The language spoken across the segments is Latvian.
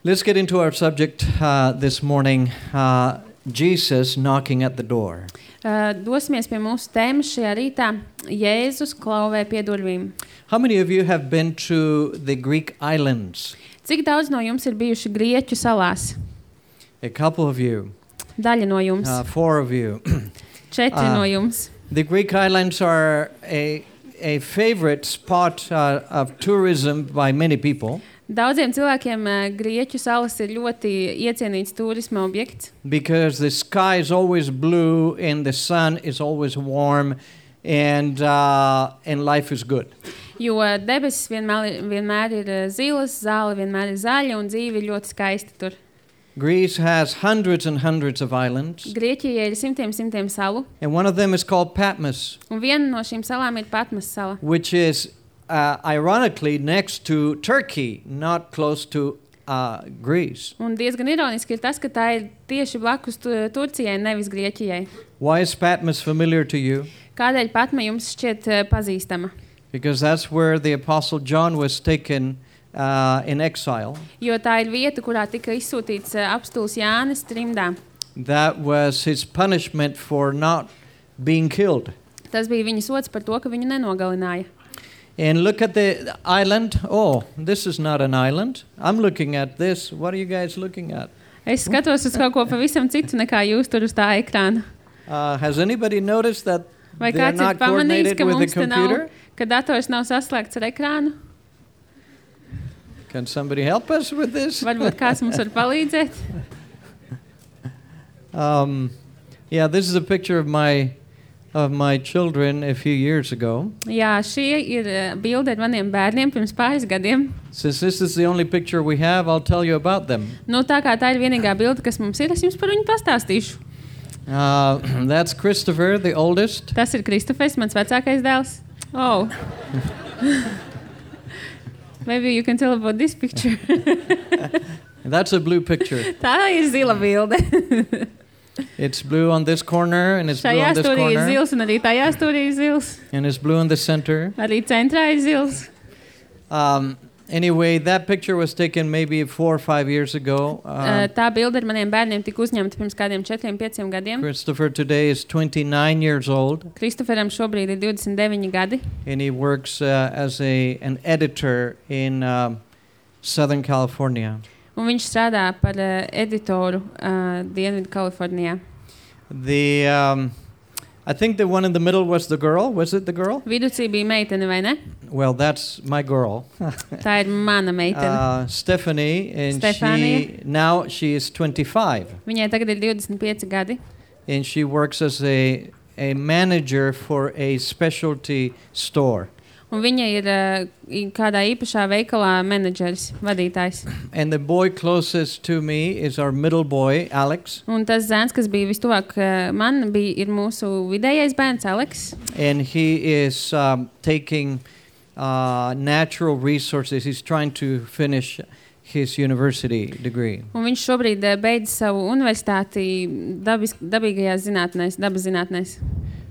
Let's get into our subject this morning, Jesus knocking at the door. Dosimies pie mūsu tēmas šajā rītā. Jēzus klauvē pie durvīm. How many of you have been to the Greek islands? Cik daudz no jums ir bijuši Grieķu salās? A couple of you. Daļa no jums. 4 of you. 4 no jums. The Greek islands are a favorite spot of tourism by many people. Daudziem cilvēkiem Grieķu salas ir ļoti iecienīts turisma objekts. Because the sky is always blue and the sun is always warm and life is good. Jo debesis vienmēr ir zilas, zāle vienmēr ir zaļa un dzīve ir ļoti skaista tur. Greece has hundreds and hundreds of islands. Grieķijai ir simtiem salu. And one of them is called Patmos. Un viena no šīm salām ir Patmas sala. Which is ironically next to Turkey, not close to Greece. Un diezgan ironiski ir tas, ka tā ir tieši blakus Turcijai, nevis Grieķijai. Why is Patmos familiar to you? Kādēļ Patma jums šķiet pazīstama? Because that's where the Apostle John was taken in exile. Jo tā ir vieta, kurā tika izsūtīts apstults Jānis trimdā. That was his punishment for not being killed. Tas bija viņa sods par to, ka viņu nenogalināja. And look at the island. Oh, this is not an island. I'm looking at this. What are you guys looking at? Es skatos uz kaut ko pavisam citu nekā jūs tur uz tā ekrāna. Has anybody noticed that Vai they're kāds ir not pamanījis, coordinated ka with the mums te nav, computer? ka dators nav saslēgts ar ekrānu? Can somebody help us with this? Varbūt kāds mums var palīdzēt? Yeah, this is a picture of my children a few years ago. Jā, šī ir bilde ar maniem bērniem pirms pāris gadiem. Since this is the only picture we have, I'll tell you about them. Nu, tā kā tā ir vienīgā bilde, kas mums ir, es jums par viņu pastāstīšu. That's Christopher, the oldest. Tas ir Kristofers, mans vecākais dēls. Oh. Maybe you can tell about this picture. That's a blue picture. Tā ir zila bilde. It's blue on this corner and it's blue Šajā on this stūrī ir corner. zils un arī tajā stūrī ir zils. And it's blue in the center. Arī centrā ir zils. Anyway, that picture was taken maybe 4 or 5 years ago. Tā bilde ar maniem bērniem tika uzņemta pirms kādiem 4-5 gadiem. Christopher today is 29 years old. Kristoferam šobrīd ir 29 gadi. And he works as an editor in Southern California. Un viņš strādā par editoru Dienvidu Kalifornijā. I think the one in the middle was the girl. Was it the girl? Viducī bija meitene, vai ne? Well, that's my girl. Tā ir mana meitene. Stephanie, and Stefania. now she is 25. Viņai tagad ir 25 gadi. And she works as a manager for a specialty store. Un viņa ir kādā īpašā veikalā menedžeris, vadītājs. And the boy closest to me is our middle boy, Alex. Un tas zēns, kas bija vistuvāk man, ir mūsu vidējais bērns, Aleks. And he is taking natural resources. He's trying to finish his university degree. Un viņš šobrīd beidz savu universitāti dabīgajās zinātnēs, dabas zinātnēs.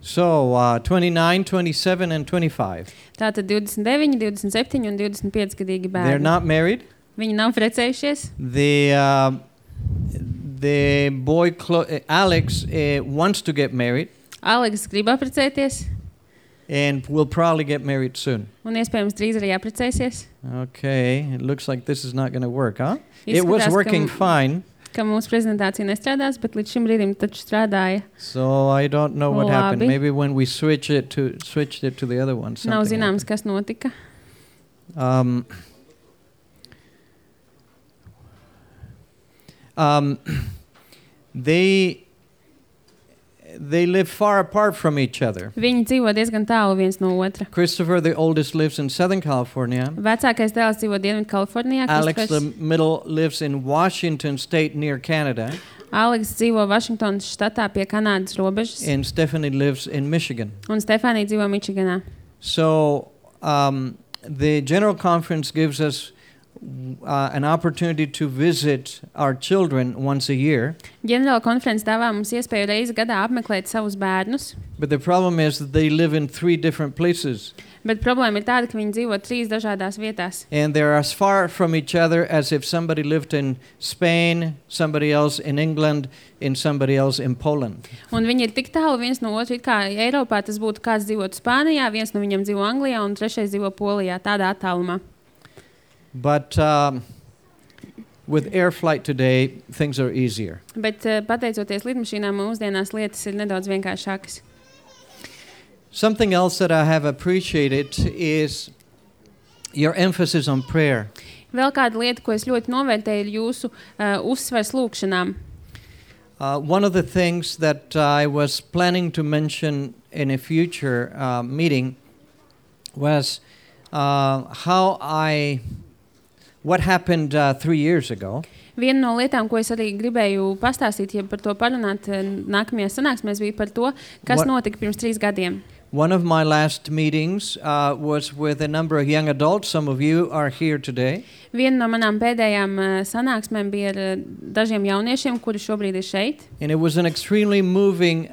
So, 29, 27, and 25. Tātad 29, 27 un 25 gadīgi bērni. They're not married. Viņi nav precējušies. The boy Alex wants to get married. Aleks grib apprecēties. And will probably get married soon. Un iespējams drīz arī apprecēsies. Okay, it looks like this is not going to work, huh? Izskatās, It was working fine. Ka mūsu prezentācija nestrādās, bet līdz šim brīdim taču strādāja. So I don't know what happened. Labi. Maybe when we switched it to the other one. Nav something zināms, kas notika. They live far apart from each other. Viņi dzīvo diezgan tālu viens no otra. Christopher, the oldest, lives in Southern California. Vecākais dēls dzīvo Dienvidu Kalifornijā. Alex, the middle, lives in Washington State near Canada. Aleks dzīvo Vašingtonas štatā pie Kanādas robežas. And Stephanie lives in Michigan. Un Stefānija dzīvo Mičiganā. So the General Conference gives us an opportunity to visit our children once a year. Ģenerāla konferences dāvā mums iespēju reizi gadā apmeklēt savus bērnus, But the problem is that they live in 3 different places. bet problēma ir tāda, ka viņi dzīvo 3 dažādās vietās. And they're as far from each other as if somebody lived in Spain, somebody else in England, and somebody else in Poland. Un viņi ir tik tālu viens no otra, it kā Eiropā tas būtu kāds dzīvot Spānijā, viens no viņiem dzīvo Anglijā un trešais dzīvo Polijā, tādā attālumā. But with air flight today, things are easier. Bet pateicoties lidmašīnām, mūsdienās lietas ir nedaudz vienkāršākas. Something else that I have appreciated is your emphasis on prayer. Vēl kāda lieta, ko es ļoti novērtēju, ir jūsu uzsvers lūkšanām. One of the things that I was planning to mention in a future meeting was what happened 3 years ago. Viena no lietām, ko es arī gribēju pastāstīt, ja par to parunāt nākamajā sanāksmēs, bija par to, kas notika pirms 3 gadiem. One of my last meetings was with a number of young adults. Some of you are here today. Viena no manām pēdējām sanāksmēm bija ar dažiem jauniešiem, kuri šobrīd ir šeit. And it was an extremely moving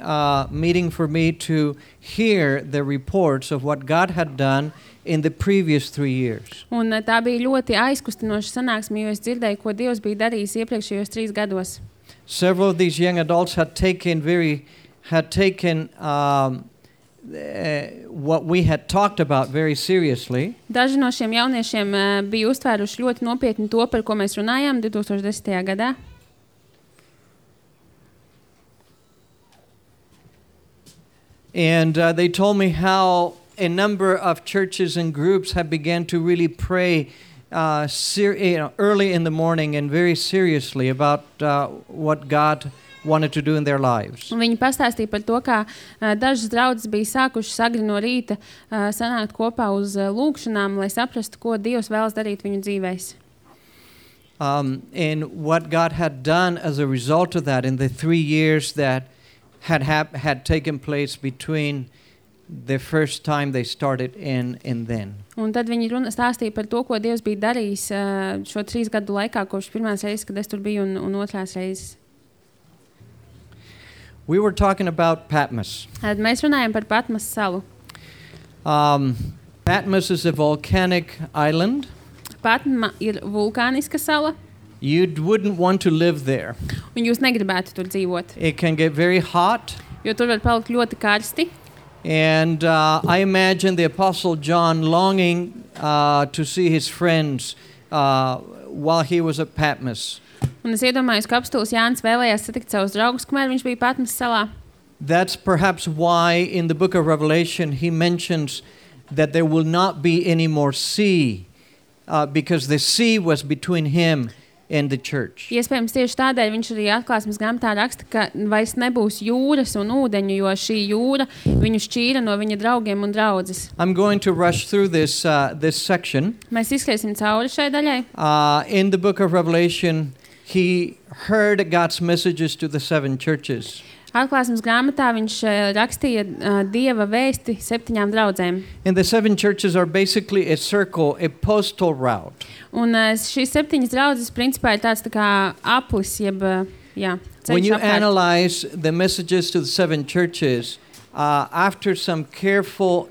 meeting for me to hear the reports of what God had done in the previous 3 years. Un tā bija ļoti aizkustinoša sanāksme, jo es dzirdēju, ko Dievs bija darījis iepriekšējos 3 gados. Several of these young adults had taken what we had talked about very seriously. Daži no šiem jauniešiem bija uztvēruši ļoti nopietni to, par ko mēs runājām 2010. gadā. And they told me how a number of churches and groups have begun to really pray early in the morning and very seriously about what God wanted to do in their lives. Un viņi pastāstīja par to, kā dažas draudzes bija sākušas agri no rīta sanākt kopā uz lūkšanām, lai saprastu, ko Dievs vēlas darīt viņu dzīvēs. And what God had done as a result of that in the 3 years that had taken place between the first time they started and then. Un tad viņi stāstīja par to, ko Dievs bija darījis šo 3 gadu laikā, kopš pirmās reizes, kad es tur biju, un otrās reizes. We were talking about Patmos. Mēs runājam par Patmas salu. Patmos is a volcanic island. Patma ir vulkāniska sala. You wouldn't want to live there. Un jūs negribētu tur dzīvot. It can get very hot. Jo tur var palikt ļoti karsti. And I imagine the Apostle John longing to see his friends while he was at Patmos. Un es iedomājos, ka apstults Jānis vēlējās satikt savus draugus, kamēr viņš bija Patmas salā. That's perhaps why in the book of Revelation he mentions that there will not be any more sea because the sea was between him and the church. Iespējams tieši tādēļ viņš arī Atklāsmes grāmatā raksta, ka vairs nebūs jūras un ūdeņu, jo šī jūra viņu šķīra no viņa draugiem un draudzes. I'm going to rush through this section. Mēs izskriesim cauri šai daļai. In the book of Revelation he heard God's messages to the 7 churches. Atklāsmes grāmatā viņš rakstīja Dieva vēsti 7 draudzēm. And the 7 churches are basically a circle, a postal route. Un šīs 7 draudzes principā ir tāds tā kā aplis, jeb ceļš When you apkārt. analyze the messages to the 7 churches, after some careful,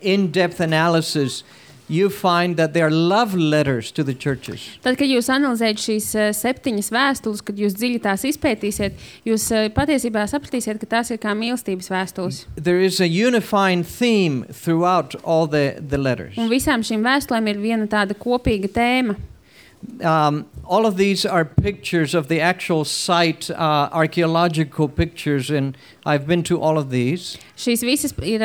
in-depth analysis, you find that they are love letters to the churches. Tad, kad jūs analizējat šīs 7 vēstules, kad jūs dziļi tās izpētīsiet, jūs patiesībā sapratīsiet, ka tās ir kā mīlestības vēstules. There is a unifying theme throughout all the letters. Un visām šīm vēstulēm ir viena tāda kopīga tēma. All of these are pictures of the actual site, archaeological pictures, and I've been to all of these. Šīs visas ir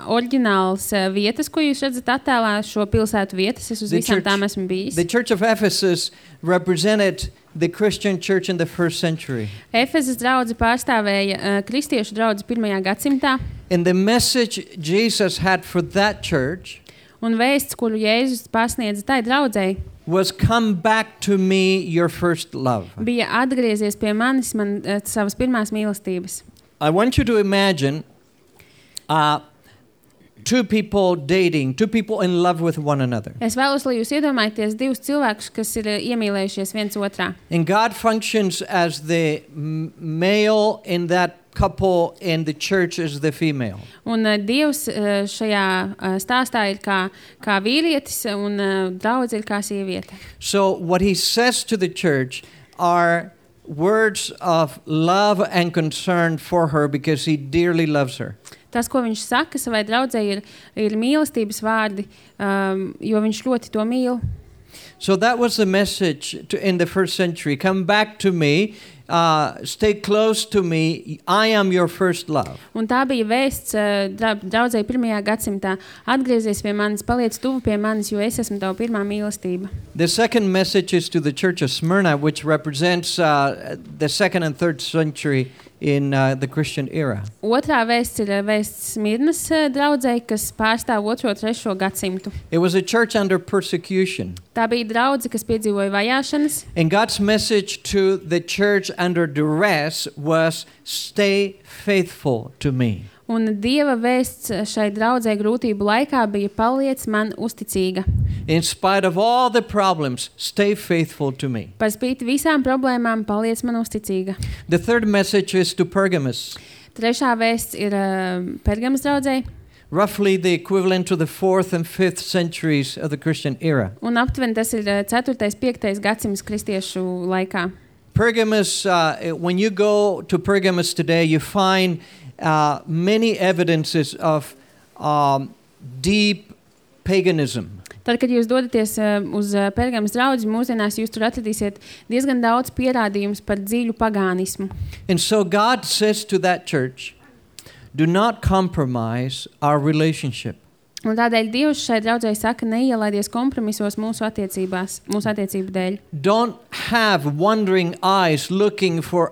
oriģināls vietas, ko jūs redzat attēlā, šo pilsētu vietas. Es uz visām tām esmu bijis. The Church of Ephesus represented the Christian church in the 1st century. Efezas draudze pārstāvēja kristiešu draudzi 1. gadsimtā. And the message Jesus had for that church Un vēsts, kuru Jēzus pasniedza tai draudzei, was come back to me, your first love. bija atgriezies pie manis, savas pirmās mīlestības. I want you to imagine two people dating, two people in love with one another. Es vēlos, lai jūs iedomājaties divus cilvēkus, kas ir iemīlējušies viens otrā. And God functions as the male in that couple, and the church is the female. Un Dievs šajā stāstā ir kā vīrietis, un draudze ir kā sieviete. So what he says to the church are words of love and concern for her because he dearly loves her. Tas, ko viņš saka savai draudzei, ir mīlestības vārdi, jo viņš ļoti to mīl. So that was the message in the first century. Come back to me, stay close to me, I am your first love. Un tā bija vēsts draudzei 1. gadsimtā. Atgriezies pie manis, paliec tuvu pie manis, jo es esmu tava pirmā mīlestība. The second message is to the church of Smyrna, which represents the second and third century in the Christian era. Otrā vēsts ir vēsts Smirnas draudzei, kas pārstāv 2. un 3. gadsimtu. It was a church under persecution. Tā bija draudze, kas piedzīvoja vajāšanas. And God's message to the church under duress was, stay faithful to me. Un Dieva vēsts šai draudzei grūtību laikā bija, paliec man uzticīga. In spite of all the problems, stay faithful to me. Par spīti visām problēmām, paliec man uzticīga. The third message is to Pergamos. Trešā vēsts ir Pergamas draudzei. Roughly the equivalent to the 4th and 5th centuries of the Christian era. Un aptuveni tas ir 4. 5. gadsimts kristiešu laikā. Pergamos, when you go to Pergamos today, you find many evidences of deep paganism. Tad, kad jūs dodaties uz Pergamas draudzi, mūsdienās jūs tur atradīsiet diezgan daudz pierādījumus par dziļu pagānismu. And so God says to that church, do not compromise our relationship. Un tādēļ Dievs šai draudzei saka, neielaidies kompromisos mūsu attiecību dēļ. Don't have wandering eyes looking for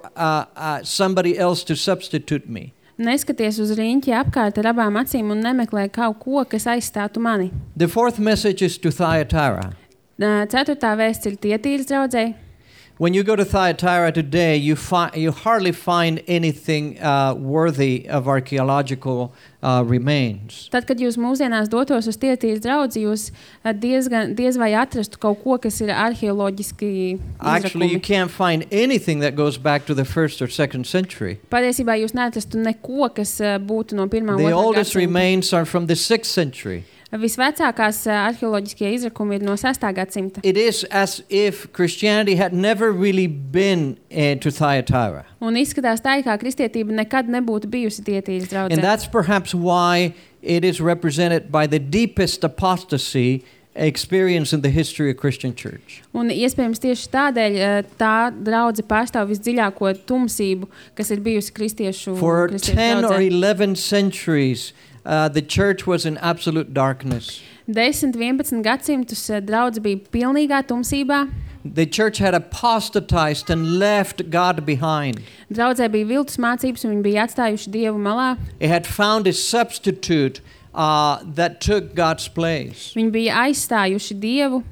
somebody else to substitute me. Neskaties uz riņķi apkārt ar abām acīm un nemeklē kaut ko, kas aizstātu mani. The fourth message is to Thyatira. 4. vēsts ir Tietīras draudzei. When you go to Thyatira today, you hardly find anything worthy of archaeological remains. Tad, kad jūs mūsdienās dotos uz Tietīras draudzi, jūs diez vai atrastu kaut ko, kas ir arheoloģiski Actually, you izrakumi. can't find anything that goes back to the 1st or 2nd century. Patiesībā jūs neatrastu neko, kas būtu no 1. un 2. The oldest gadsimta. remains are from the 6th century. Visvecākās arheoloģiskie izrakumi ir no 6. gadsimta. It is as if Christianity had never really been to Thyatira. Un izskatās tā, kā kristietība nekad nebūtu bijusi Tietīras draudzē. And that's perhaps why it is represented by the deepest apostasy experience in the history of Christian church. Un iespējams tieši tādēļ tā draudze pārstāv visdziļāko tumsību, kas ir bijusi kristiešu For 10 or draudzē. 11 centuries, the church was in absolute darkness. 10, 11 gadsimtus draudze bija pilnīgā tumsībā. The church had apostatized and left God behind. Draudzē bija viltus mācības, un viņi bija atstājuši Dievu malā. It had found a substitute that took God's place. Viņi bija aizstājuši Dievu,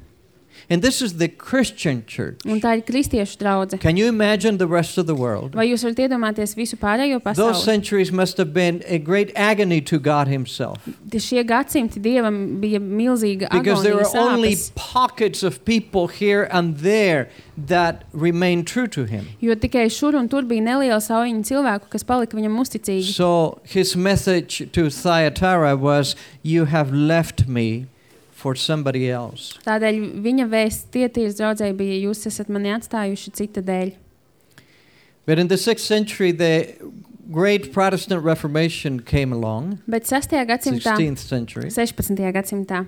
And this is the Christian church. un tā ir kristiešu draudze. Can you imagine the rest of the world? Vai jūs varat iedomāties visu pārējo Those pasauli? centuries must have been a great agony to God himself. Šie gadsimti Dievam bija milzīga Because there agonija, were only sāpes, pockets of people here and there that remained true to him. jo tikai šur un tur bija neliela saujiņa cilvēku, kas palika viņam uzticīgi. So his message to Thyatira was, you have left me for somebody else. Tādēļ viņa vēsts Tietīras draudzei bija, jūs esat mani atstājuši cita dēļ. But in the 6th century, the great Protestant Reformation came along, Bet 6. gadsimtā, 16th century. 16. gadsimtā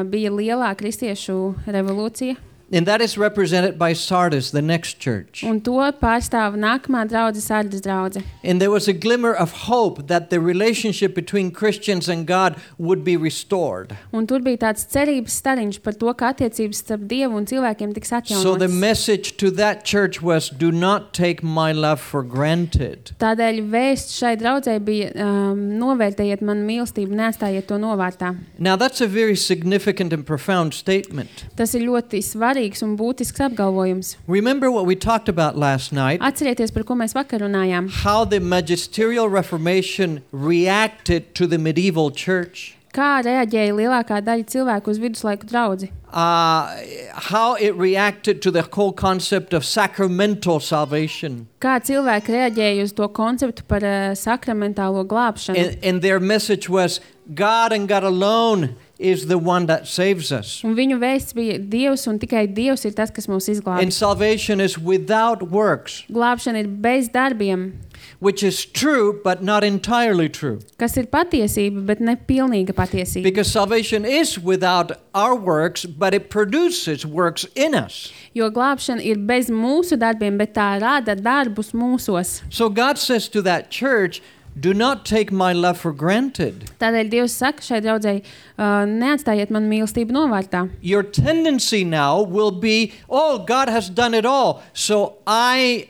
bija lielā kristiešu revolūcija, And that is represented by Sardis, the next church. un to pārstāv nākamā draudze, Sardas draudze. And there was a glimmer of hope that the relationship between Christians and God would be restored. Un tur bija tāds cerības stariņš par to, ka attiecības starp Dievu un cilvēkiem tiks So the atjaunotas. message to that church was, do not take my love for granted. Tādēļ vēsts šai draudzei bija novērtējiet manu mīlestību, neatstājiet to novārtā. Now that's a very significant and profound statement. Tas ir ļoti svarīgs un būtisks apgalvojums. Remember what we talked about last night? Atcerieties, par ko mēs vakar runājām. How the magisterial Reformation reacted to the medieval church. Kā reaģēja lielākā daļa cilvēku uz viduslaiku draudzi? How it reacted to the whole concept of sacramental salvation. Kā cilvēki reaģēja uz to konceptu par sakramentālo glābšanu? And their message was, God and God alone is the one that saves us. Un viņu vēsts bija Dievs un tikai Dievs ir tas, kas mūs izglābj. And salvation is without works. Glābšana ir bez darbiem. Which is true, but not entirely true. Kas ir patiesība, bet ne pilnīga patiesība. Because salvation is without our works, but it produces works in us. Jo glābšana ir bez mūsu darbiem, bet tā rada darbus mūsos. So God says to that church, do not take my love for granted. Tādēļ Dievs saka šai draudzei, neatstājiet man mīlestību novārtā. Your tendency now will be, oh, God has done it all, so I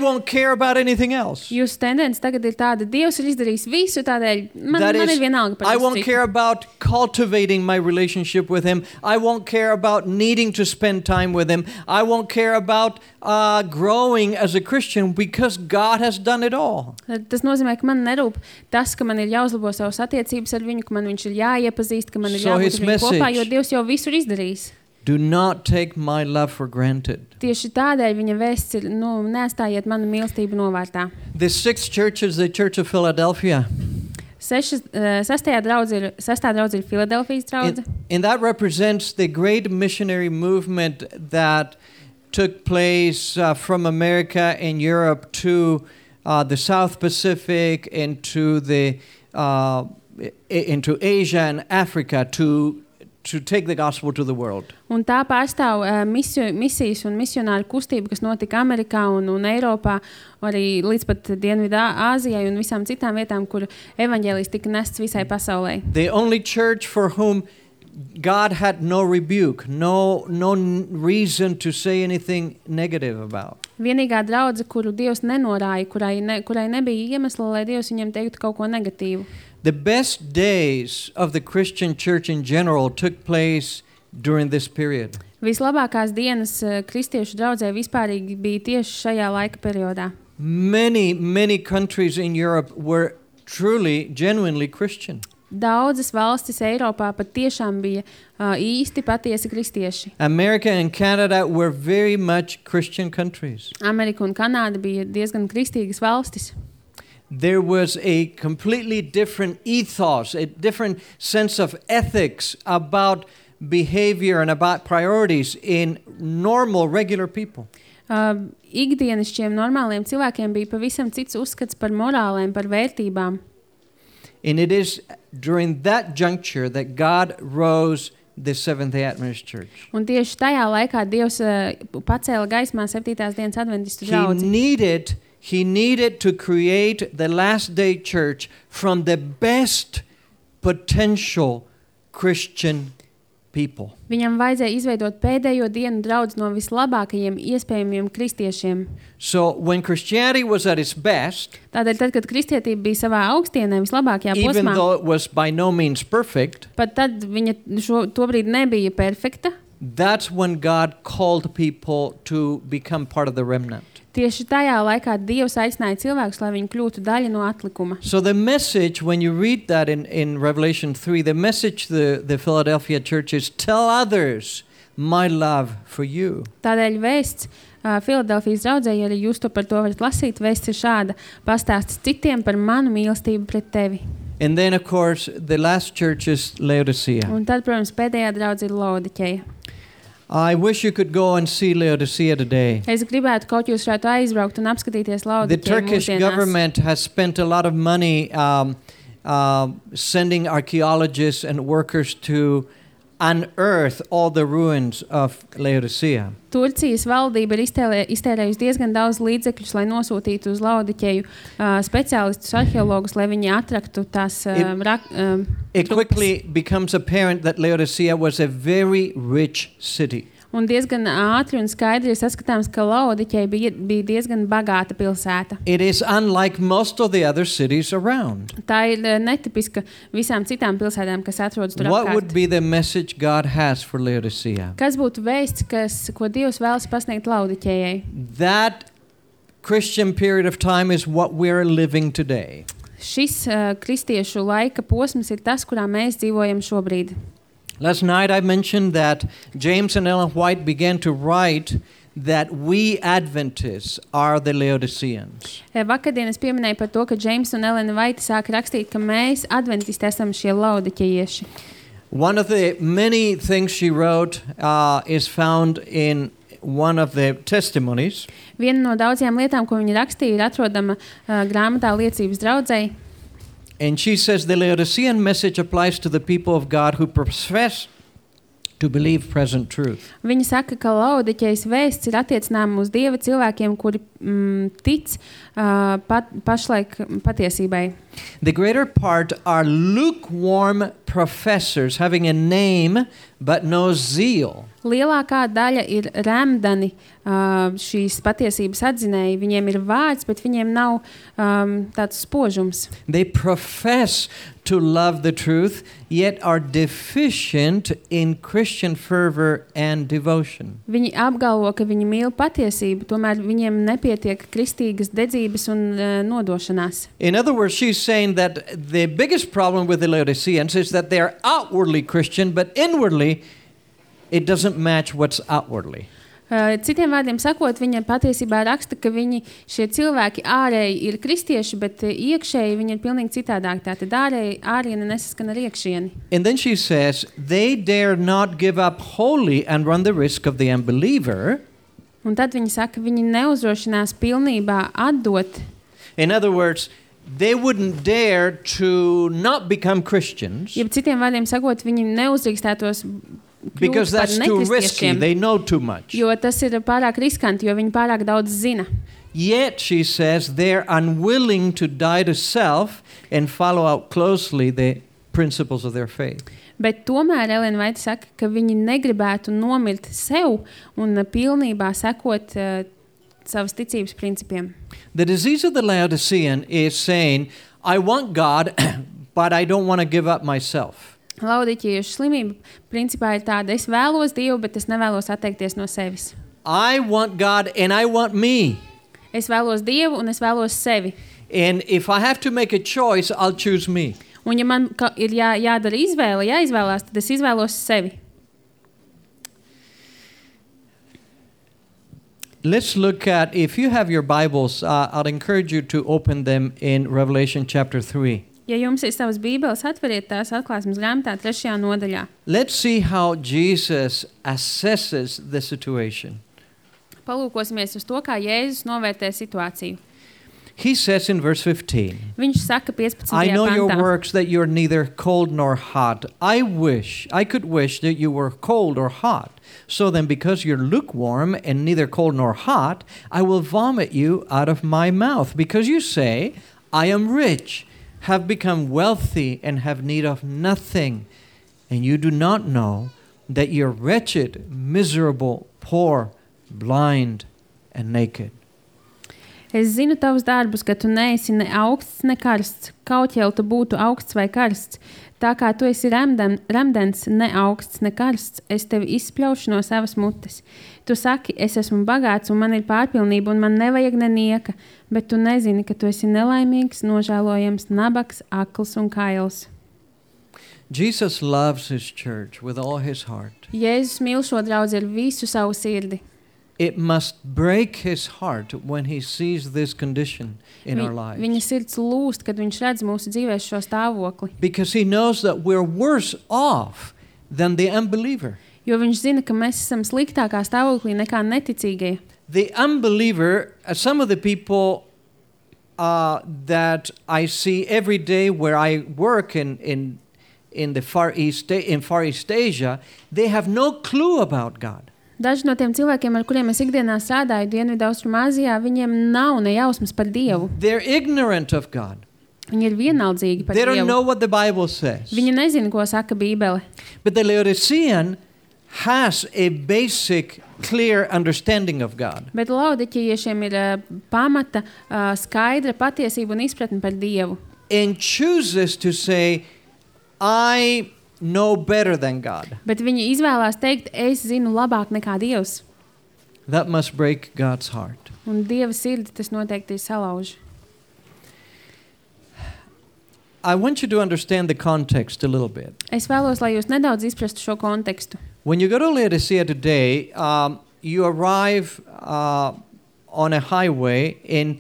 won't care about anything else. Jūsu tendence tagad ir tāda, Dievs ir izdarījis visu, tādēļ man ir vienalga par I visu won't citu. care about cultivating my relationship with Him. I won't care about needing to spend time with Him. I won't care about growing as a Christian because God has done it all. Tas nozīmē, ka man nerūp tas, ka man ir jāuzlabo savas attiecības ar viņu, ka man viņš ir jāiepazīst, ka man ir So jābūt his ar viņu kopā, message- jo Dievs jau visu ir izdarījis. Do not take my love for granted. Tieši tādēļ viņa vēsts ir, neatstājiet manu mīlestību novārtā. The sixth church is the Church of Philadelphia. Sestā draudze ir Filadelfijas draudze. And that represents the great missionary movement that took place from America and Europe to the South Pacific and to into Asia and Africa to take the gospel to the world. Un tā pārstāv misijas un misionāru kustību, kas notika Amerikā un Eiropā, arī līdz pat Dienvidā Āzijai un visām citām vietām, kur evaņģēlijs tika nests visai pasaulē. The only church for whom God had no rebuke, no reason to say anything negative about. Vienīgā draudze, kuru Dievs nenorāja, kurai nebija iemesla, lai Dievs viņiem teiktu kaut ko negatīvu. The best days of the Christian church in general took place during this period. Vislabākās dienas kristiešu draudzē vispārīgi bija tieši šajā laika periodā. Many countries in Europe were truly, genuinely Christian. Daudzas valstis Eiropā pat tiešām bija īsti patiesi kristieši. America and Canada were very much Christian countries. Amerika un Kanāda bija diezgan kristīgas valstis. There was a completely different ethos, a different sense of ethics about behavior and about priorities in normal, regular people. Ikdienišķiem normāliem cilvēkiem bija pavisam cits uzskats par morālēm, par vērtībām. And it is during that juncture that God rose the Seventh-day Adventist Church. Un tieši tajā laikā Dievs pacēla gaismā 7. dienas adventistu draudzi. He needed to create the last day church from the best potential Christian people. Viņam vajadzēja izveidot pēdējo dienu draudzi no vislabākajiem iespējamiem kristiešiem. So when Christianity was at its best, Tādēļ tad, kad kristietība bija savā augstienē, vislabākajā even posmā, though it was by no means perfect, pat tad viņa tobrīd nebija perfekta. that's when God called people to become part of the remnant. Tieši tajā laikā Dievs aicināja cilvēkus, lai viņi kļūtu daļa no atlikuma. So the message, when you read that in Revelation 3, the message the Philadelphia church is, tell others my love for you. Tādēļ vēsts Filadelfijas draudzē, ja arī jūs par to varat lasīt, vēsts ir šāda: pastāsti citiem par manu mīlestību pret tevi. And then, of course, the last church is Laodicea. Un tad, protams, pēdējā draudze ir Laodikeja. I wish you could go and see Laodicea today. Es gribētu kaut jūs varētu aizbraukt un apskatīties The Laodikeju Turkish mūsdienās. government has spent a lot of money sending archaeologists and workers to unearth all the ruins of Laodicea. Turcijas valdība ir iztērējusi diezgan daudz līdzekļus, lai nosūtītu uz Laodikeju speciālistus, arheologus, lai viņi atraktu tās It quickly becomes apparent that Laodicea was a very rich city. Un diezgan ātri un skaidri ir saskatāms, ka Laodikeja bija diezgan bagāta pilsēta. It is unlike most of the other cities around. Tā ir netipiska visām citām pilsētām, kas atrodas tur What would apkārt. be the message God has for Laodicea? Kas būtu vēsts, ko Dievs vēlas pasniegt Laodikejai? That Christian period of time is what we're living today. šis kristiešu laika posms ir tas, kurā mēs dzīvojam šobrīd. Last night I mentioned that James and Ellen White began to write that we Adventists are the Laodiceans. Vakardien es pieminēju par to, ka Džeims un Elena Vaita sāk rakstīt, ka mēs adventisti esam šie laudikeieši. One of the many things she wrote is found in one of the testimonies. Viena no daudzajām lietām, ko viņa rakstīja, ir atrodama grāmatā Liecības draudzei. And she says the Laodicean message applies to the people of God who profess to believe present truth. Viņa saka, ka Laodiķejas vēsts ir attiecināma uz Dieva cilvēkiem, kuri tic pašlaik patiesībai. The greater part are lukewarm professors having a name but no zeal. Lielākā daļa ir remdani šīs patiesības atzinēji. Viņiem ir vārds, bet viņiem nav tāds spožums. They profess to love the truth, yet are deficient in Christian fervor and devotion. Viņi apgalvo, ka viņi mīl patiesību, tomēr viņiem nepietiek kristīgas dedzības un nodošanās. In other words, she's saying that the biggest problem with the Laodiceans is that they are outwardly Christian, but inwardly it doesn't match what's outwardly. Citiem vārdiem sakot, viņa patiesībā raksta, ka viņi šie cilvēki ārēji ir kristieši, bet iekšēji viņi ir pilnīgi citādāk. Tātad ārieni nesaskan ar iekšieni. And then she says, they dare not give up wholly and run the risk of the unbeliever. Un tad viņi saka, viņi neuzdrošinās pilnībā atdot. In other words, they wouldn't dare to not become Christians. Ja citiem vārdiem sakot, viņi neuzdrīkstētos Because that's too risky. They know too much. Jo tas ir pārāk riskanti, jo viņi pārāk daudz zina. Yet, she says, they're unwilling to die to self and follow out closely the principles of their faith. Bet tomēr Elena Vaita saka, ka viņi negribētu nomirt sev un pilnībā sekot savas ticības principiem. The disease of the Laodicean is saying, I want God, but I don't want to give up myself. Laodiķiešu slimība principā ir tāda, es vēlos Dievu, bet es nevēlos atteikties no sevis. I want God and I want me. Es vēlos Dievu un es vēlos sevi. And if I have to make a choice, I'll choose me. Un ja man ir jādara izvēle, jāizvēlās, tad es izvēlos sevi. Let's look at, if you have your Bibles, I'll encourage you to open them in Revelation chapter 3. Ja jums ir savas bībeles, atveriet tās atklāsmes grāmatā 3. nodaļā. Let's see how Jesus assesses the situation. Palūkosimies uz to, kā Jēzus novērtē situāciju. He says in verse 15, Viņš saka 15. I know your pantā. works, that you're neither cold nor hot. I could wish that you were cold or hot. So then, because you're lukewarm and neither cold nor hot, I will vomit you out of my mouth. Because you say, I am rich, have become wealthy, and have need of nothing. And you do not know that you're wretched, miserable, poor, blind, and naked. Es zinu tavus darbus, ka tu neesi ne augsts, ne karsts. Kaut jau tu būtu augsts vai karsts. Tā kā tu esi remdens, ne augsts, ne karsts, es tevi izspļaušu no savas mutes. Tu saki, es esmu bagāts un man ir pārpilnība un man nevajag nenieka, bet tu nezini, ka tu esi nelaimīgs, nožēlojams, nabaks, akls un kails. Jesus loves his church with all his heart. Jēzus mīl šo draudzi ar visu savu sirdi. It must break his heart when he sees this condition in our lives. Viņa sirds lūst, kad viņš redz mūsu dzīvēs šo stāvokli. Because he knows that we're worse off than the unbeliever. Jo viņš zina, ka mēs esam sliktākā stāvoklī nekā neticīgie. The unbeliever, some of the people that I see every day where I work in the Far East Asia, they have no clue about God. Daži no tiem cilvēkiem, ar kuriem es ikdienā strādāju Dienvidaustrumāzijā, viņiem nav ne jausmas par Dievu. They're ignorant of God. Viņi ir vienaldzīgi par They Dievu. don't know what the Bible says. Viņi nezina, ko saka Bībele. But the Laodicean has a basic, clear understanding of God. Bet Laodiķiešiem ir pamata, skaidra patiesība un izpratne par Dievu. And chooses to say, I know better than God. Bet viņi izvēlās teikt, es zinu labāk nekā Dievs. That must break God's heart. Un Dieva sirdi tas noteikti ir salauž. I want you to understand the context a little bit. Es vēlos, lai jūs nedaudz izprastu šo kontekstu. When you go to Laodicea today, you arrive on a highway, and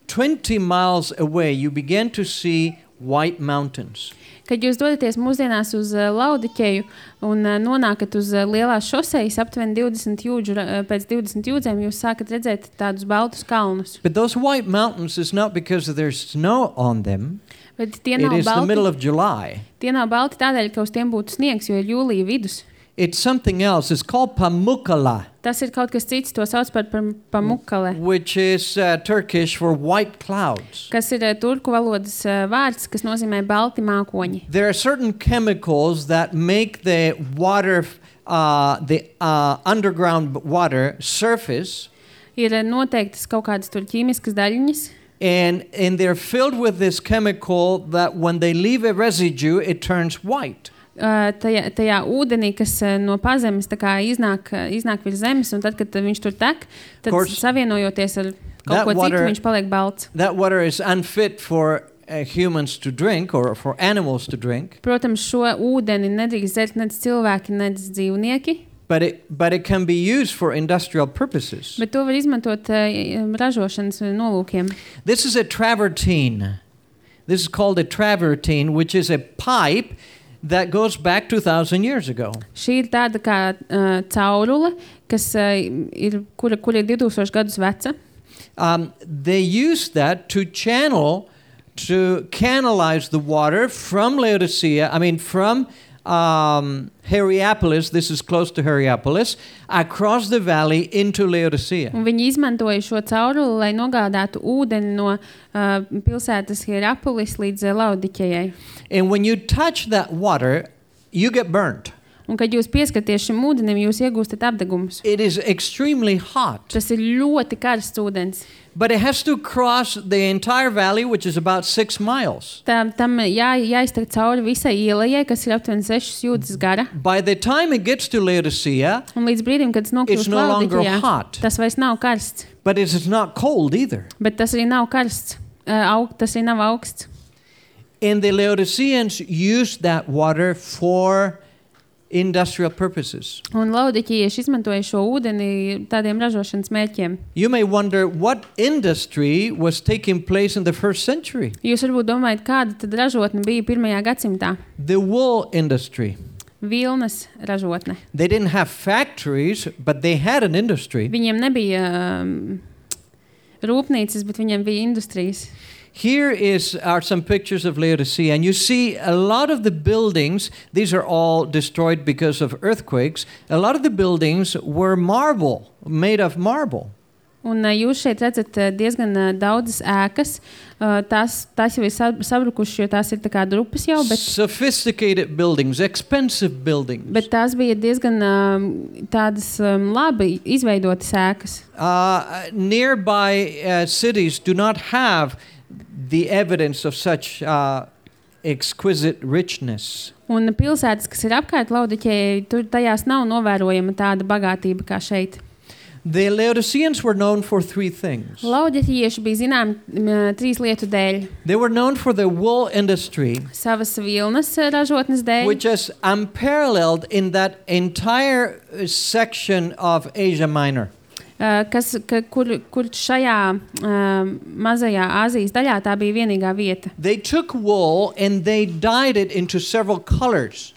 20 miles away you begin to see white mountains. Kad jūs dodaties mūsdienās uz Laudikeju un nonākat uz lielās šosejas, aptuveni 20 jūdžu, pēc 20 jūdzēm jūs sākat redzēt tādus baltus kalnus. But those white mountains is not because there's snow on them. Bet tie It nav is the middle balti, of July. tie nav balti tādēļ, ka uz tiem būtu sniegs, jo ir jūlija vidus. It's something else. It's called Pamukkala, Tas ir kaut kas cits, to sauc par Pamukkale, which is Turkish for white clouds. kas ir turku valodas vārds, kas nozīmē balti mākoņi. There are certain chemicals that make the water, the underground water surface, Ir noteiktas kaut kādas tur ķīmiskas daļiņas, and they're filled with this chemical that when they leave a residue, it turns white. tajā ūdenī, kas no pazemes tā kā iznāk virs zemes, un tad, kad viņš tur tek, tad Course, savienojoties ar that kaut ko water- citu, viņš paliek balts. That water is unfit for humans to drink or for animals to drink, Protams, šo ūdeni nedrīkst dzert nec cilvēki, nec dzīvnieki, but it can be used for industrial purposes. bet to var izmantot ražošanas nolūkiem. This is a travertine. This is called a travertine, which is a pipe that goes back 2,000 years ago. Šī ir tāda kā caurule, kas kur ir 2000 gadus veca. They use that to canalize the water from Laodicea, from Hierapolis, this is close to Hierapolis, across the valley into Laodicea. Un viņi izmantoja šo cauruli, lai nogādātu ūdeni no pilsētas Hierapolis līdz Laudikejai. And when you touch that water, you get burnt. Un, kad jūs pieskaties šim ūdenim, jūs iegūstat apdegumus. It is extremely hot. Tas ir ļoti karsts ūdens. But it has to cross the entire valley, which is about 6 miles. Tam jāiztek cauri visai ielai, kas ir aptuveni 6 jūdzes gara. By the time it gets to Laodicea, Un līdz brīdim, kad tas it's nokļūst no longer Laudikejā, hot, tas vairs nav karsts. but it is not cold either. Bet tas arī nav karsts. Tas arī nav augsts. And the Laodiceans used that water for industrial purposes. Un laudikieši izmantoja šo ūdeni tādiem ražošanas mērķiem. You may wonder what industry was taking place in the first century. Jūs varbūt domājat, kāda tad ražotne bija 1. gadsimtā? The wool industry. Vilnas ražotne. They didn't have factories, but they had an industry. Viņiem nebija rūpnīcas, bet viņiem bija industrijas. Here are some pictures of Laodicea, and you see a lot of the buildings, these are all destroyed because of earthquakes, a lot of the buildings were marble, made of marble. Un jūs šeit redzat diezgan daudzas ēkas. Tās jau ir sabrukušas, jo tās ir tā kā drupas jau, Sophisticated buildings, expensive buildings. bet tās bija diezgan tādas labi izveidotas ēkas. Nearby cities do not have the evidence of such exquisite richness. Un pilsētas, kas ir apkārt Laudikejai, tur tajās nav novērojama tāda bagātība kā šeit. The Laodiceans were known for 3 things. Laudikieši bija zinām 3 lietu dēļ. They were known for the wool industry, Savas vilnas ražotnes dēļ, which is unparalleled in that entire section of Asia Minor. kur šajā mazajā Āzijas daļā tā bija vienīgā vieta. They took wool and they dyed it into several colors.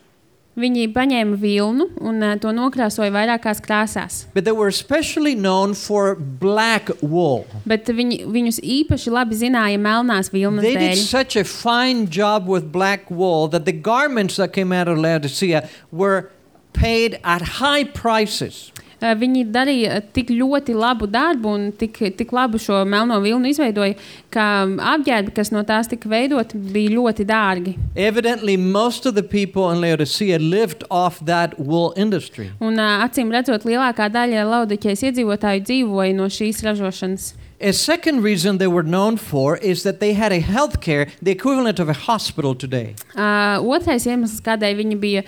Viņi paņēma vilnu un to nokrāsoja vairākās krāsās. But they were especially known for black wool. Bet viņus īpaši labi zināja melnās vilnas They did dēļ. such a fine job with black wool that the garments that came out of Laodicea were paid at high prices. Viņi darīja tik ļoti labu darbu un tik labu šo melno vilnu izveidoja, ka apģērbi, kas no tās tika veidoti, bija ļoti dārgi. Evidently, most of the people in Laodicea lived off that wool industry. Un acīm redzot, lielākā daļa Laudikejas iedzīvotāju dzīvoja no šīs ražošanas. A second reason they were known for is that they had a health care, the equivalent of a hospital today. Otrais iemesls, kādēļ viņi bija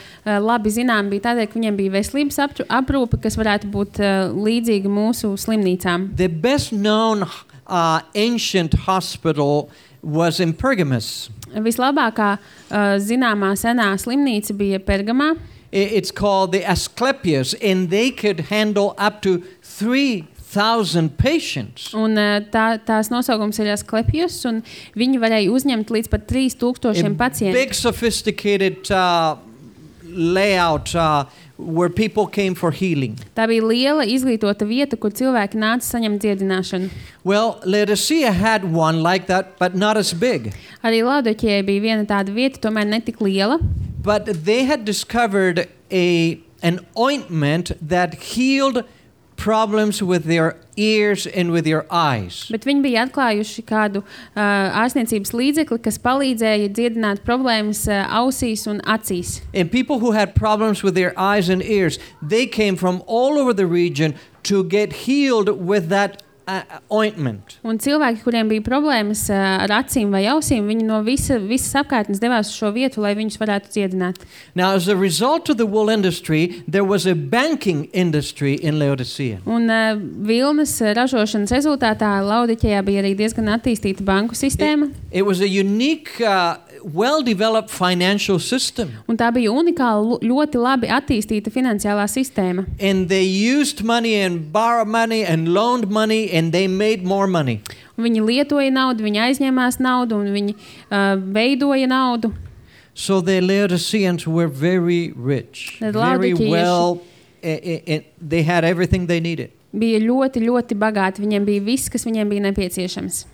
labi zinām, bija tādēļ, ka viņiem bija veselības aprūpe, kas varētu būt līdzīga mūsu slimnīcām. The best known ancient hospital was in Pergamos. Vislabākā zināmā senā slimnīca bija Pergamā. It's called the Asclepius, and they could handle up to 3,000 patients. Un tās nosaukums ir Asklepijus, un viņi varēja uzņemt līdz pat 3,000 pacientu. Big sophisticated layout where people came for healing. Tā bija liela izglītota vieta, kur cilvēki nāca saņemt dziedināšanu. Well, Laodicea had one like that, but not as big. Arī Laodiķejai bija viena tāda vieta, tomēr ne tik liela. But they had discovered an ointment that healed problems with their ears and with their eyes. Bet viņi bija atklājuši kādu ārstniecības līdzekli, kas palīdzēja dziedināt problēmas ausīs un acīs. And people who had problems with their eyes and ears, they came from all over the region to get healed with that ointment. Un cilvēki, kuriem bija problēmas ar acīm vai ausīm, viņi no visas apkārtnes devās uz šo vietu, lai viņus varētu dziedināt. Now, as a result of the wool industry, there was a banking industry in Laodicea. Un vilnas ražošanas rezultātā Laodiķejā bija arī diezgan attīstīta banku sistēma. It was a unique, well-developed financial system. Un tā bija unikāla, ļoti labi attīstīta finansiālā sistēma. And they used money and borrowed money and loaned money, and they made more money. Viņi lietoja naudu, viņi aizņēmās naudu un viņi veidoja naudu. So the Laodiceans were very rich, very well, they had everything they needed. Bija ļoti, ļoti bagāti, viņiem bija viss, kas viņiem bija nepieciešams.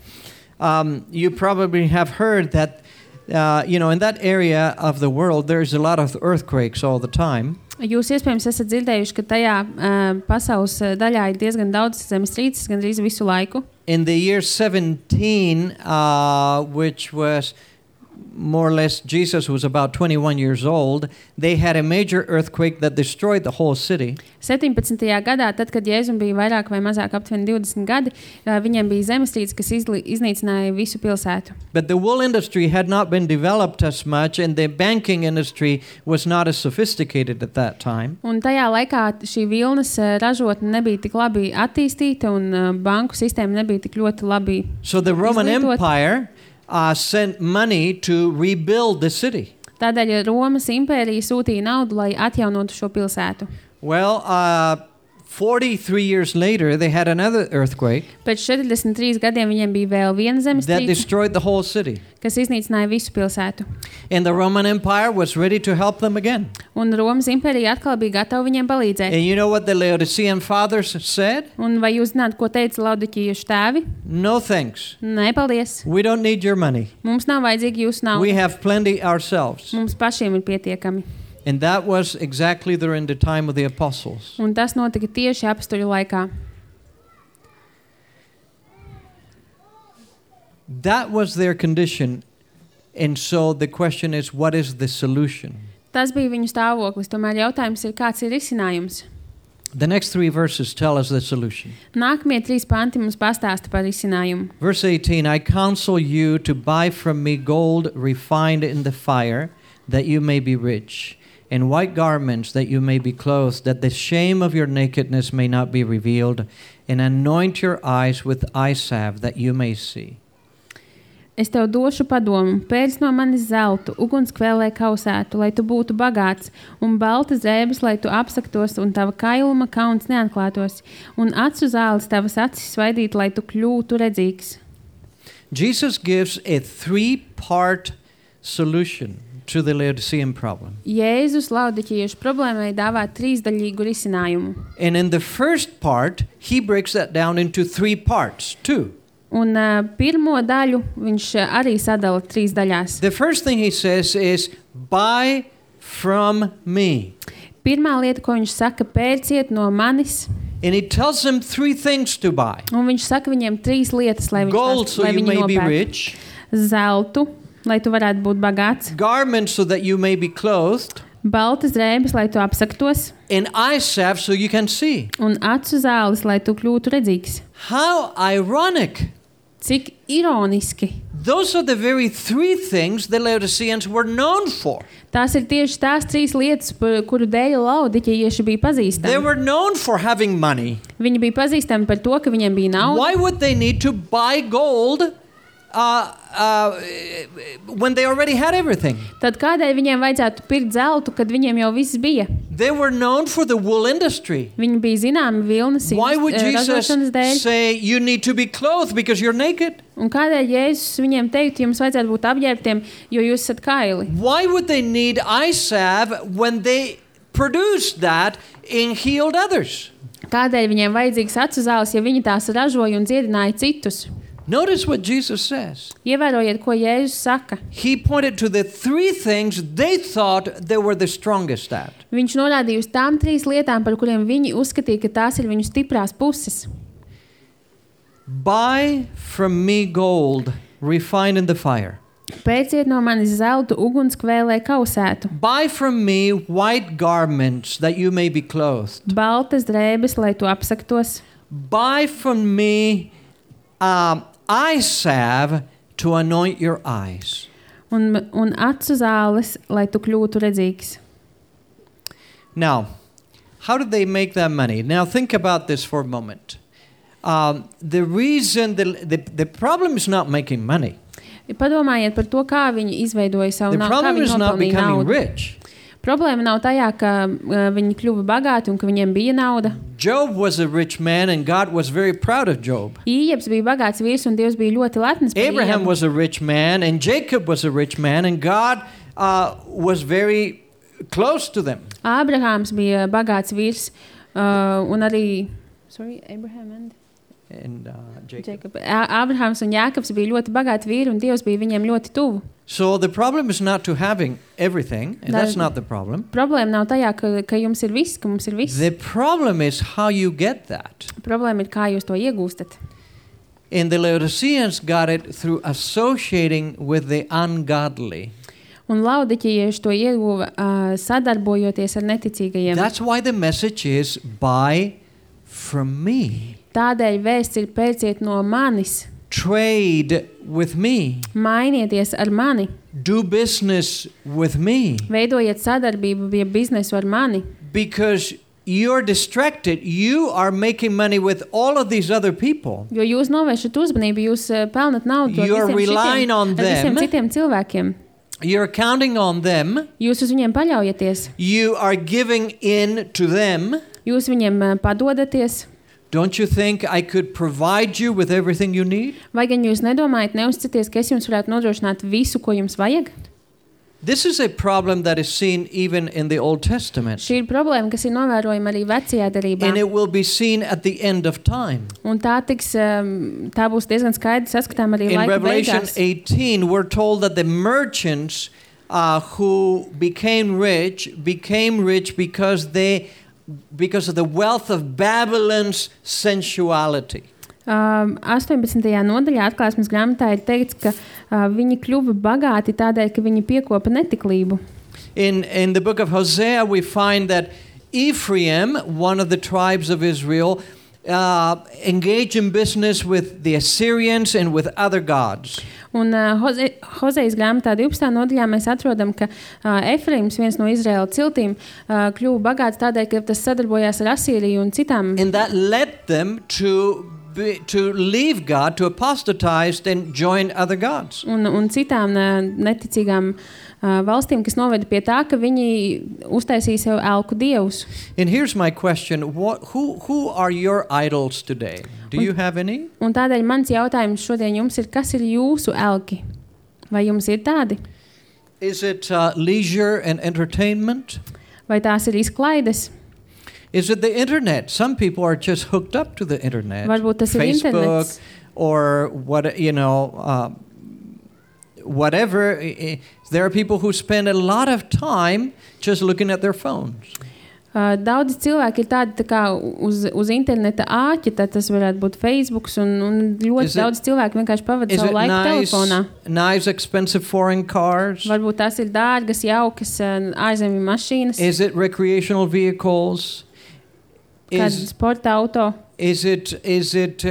You probably have heard that in that area of the world, there's a lot of earthquakes all the time. Jūs iespējams esat dzirdējuši, ka tajā pasaules daļā ir diezgan daudz zemestrīces, gandrīz visu laiku. In the year 17, which was more or less, Jesus was about 21 years old, they had a major earthquake that destroyed the whole city. 17. gadā, tad, kad Jēzum bija vairāk vai mazāk aptuveni 20 gadi, viņiem bija zemestrīce, kas iznīcināja visu pilsētu. But the wool industry had not been developed as much, and the banking industry was not as sophisticated at that time. Un tajā laikā šī vilnas ražotne nebija tik labi attīstīta, un banku sistēma nebija tik ļoti labi So the Roman Empire sent money to rebuild the city. Tādēļ Romas impērija sūtīja naudu, lai atjaunotu šo pilsētu. Well, 43 years later, they had another earthquake Pēc 43 gadiem viņiem bija vēl viena that zemestrīce, destroyed the whole city. kas iznīcināja visu pilsētu. And the Roman Empire was ready to help them again. Un Romas impērija atkal bija gatava viņiem palīdzēt. And you know what the Laodicean fathers said? Un vai jūs zināt, ko teica Laodiķejas tēvi? No thanks. Nē, paldies. We don't need your money. Mums nav vajadzīgi jūsu nauda. We have plenty ourselves. Mums pašiem ir pietiekami. And that was exactly during the time of the apostles. Un tas notika tieši apstuļu laikā. That was their condition. And so the question is, what is the solution? Tas bija viņu stāvoklis. Tomēr jautājums ir, kāds ir risinājums? The next 3 verses tell us the solution. Nākamie 3 panti mums pastāsta par risinājumu. Verse 18, I counsel you to buy from me gold refined in the fire, that you may be rich, and white garments, that you may be clothed, that the shame of your nakedness may not be revealed, and anoint your eyes with eye salve, that you may see. Es tev došu padomu, pērc no manis zeltu, ugunskvēlē kausētu, lai tu būtu bagāts, un baltas drēbes, lai tu apsaktos, un tava kailuma kauns neatklātos, un acu zāles tavas acis svaidīt, lai tu kļūtu redzīgs. Jesus gives a 3-part solution to the Laodicean problem. Jēzus Laodiķejas problēmai dāvā 3-daļīgu risinājumu. And in the first part, he breaks that down into 3 parts, too. Un pirmo daļu viņš arī sadala 3 daļās. The first thing he says is, buy from me. Pirmā lieta, ko viņš saka, pērciet no manis. And he tells them 3 things to buy. Un viņš saka viņiem 3 lietas, lai Gold, so you may be nopērk. rich. Zeltu, lai tu varētu būt bagāts. Garments, so that you may be clothed. Baltas drēbes, lai tu apsaktos. And eye salve, so you can see. Un acu zāles, lai tu kļūtu redzīgs. How ironic. Cik ironiski. Those are the very 3 things the Laodiceans were known for. Tās ir tieši tās 3 lietas, kuru dēļ Laodiķeji bija They pazīstami. were known for having money. Viņi bija pazīstami par to, ka viņiem bija nauda. Why would they need to buy gold when they already had everything? Tad kādēļ viņiem vajadzētu pirkt zeltu, kad viņiem jau viss bija? They were known for the wool industry. Viņi bija zināmi vilnas Why would Jesus ražošanas dēļ. say you need to be clothed because you're naked? Un kādēļ Jēzus viņiem teikt, jums vajadzētu būt apģērbtiem, jo jūs esat kaili? Why would they need eye salve when they produced that and healed others? Kādēļ viņiem vajadzīgs acu zāles, ja viņi tās ražoja un dziedināja citus? Notice what Jesus says. Ievērojiet, ko Jēzus saka. He pointed to the three things they thought they were the strongest at. Viņš norādīja uz tām 3 lietām, par kuriem viņi uzskatīja, ka tās ir viņu stiprās puses. Buy from me gold refined in the fire. Pērciet no manis zeltu ugunskvēlē kausētu. Buy from me white garments that you may be clothed. Baltas drēbes, lai tu apsaktos. Buy from me eye salve to anoint your eyes. Un acu zāles, lai tu kļūtu redzīgs. Now, how did they make that money? Now think about this for a moment. The reason, the problem is not making money. Padomājiet par to, kā viņi izveidoja savu The naudu, kā problem viņi is not nopelnīja becoming naudu. rich. Problēma nav tajā, ka viņi kļuva bagāti un ka viņiem bija nauda. Job was a rich man and God was very proud of Job. Ījebs bija bagāts vīrs un Dievs bija ļoti lepns par Abraham Ījebu. was a rich man and Jacob was a rich man and God was very close to them. Ābrahāms bija bagāts vīrs un arī Abraham And Jacob. Jacob. Ābrahāms un Jākabs bija ļoti bagāti vīri un Dievs bija viņiem ļoti tuvu. So the problem is not to having everything, and that's not the problem. Problēma nav tajā, ka jums ir viss, ka mums ir viss. The problem is how you get that. Problēma ir, kā jūs to iegūstat. And the Laodiceans got it through associating with the ungodly. Un laudikieši to ieguva sadarbojoties ar neticīgajiem. That's why the message is buy from me. Tādēļ vēsts ir pērciet no manis, Trade with me. mainieties ar mani, Do business with me. veidojiet sadarbību pie biznesu ar mani. Because you're distracted. You are making money with all of these other people. Jo jūs novēršat uzmanību, jūs pelnat naudu ar You're relying visiem, on ar visiem them. citiem cilvēkiem. You're counting on them. Jūs uz viņiem paļaujaties, You are giving in to them. jūs viņiem padodaties. Don't you think I could provide you with everything you need? Vai gan jūs nedomājat, neuzticaties, ka es jums varētu nodrošināt visu, ko jums vajag? This is a problem that is seen even in the Old Testament. Šī ir problēma, kas ir novērojama arī vecajā darbā. And it will be seen at the end of time. Un tā būs diezgan skaidri saskatām arī In laika Revelation beigās. 18, we're told that the merchants who became rich because of the wealth of Babylon's sensuality. 18. nodaļā atklāsmes grāmatā ir teikts, ka viņi kļuva bagāti tādēļ, ka viņi piekopa netiklību. In the book of Hosea, we find that Ephraim, one of the tribes of Israel, engaged in business with the Assyrians and with other gods. Un Hozejas grāmatā 12. nodaļā mēs atrodam, ka Efraims, viens no Izraēla ciltīm, kļuva bagāts tādēļ, ka tas sadarbojās ar Asīriju un citām. And that led them to leave God, to apostatize and join other gods. Un citām neticīgām valstīm, kas noveda pie tā, ka viņi uztaisīja sev elku dievus. And here's my question. Who are your idols today? Do you have any? Un tādēļ mans jautājums šodien jums ir, kas ir jūsu elki? Vai jums ir tādi? Is it leisure and entertainment? Vai tās ir izklaides? Is it the internet? Some people are just hooked up to the internet. Varbūt tas ir Facebook internets. or whatever. There are people who spend a lot of time just looking at their phones. Daudzi cilvēki ir tādi tā kā uz interneta āķi, tad tas varētu būt Facebook, un ļoti daudz cilvēku vienkārši pavada savu laiku telefonā. Nice, expensive foreign cars? Varbūt tās ir dārgas, jaukas ārzemju mašīnas, Is it recreational vehicles? kāda sporta auto. Is it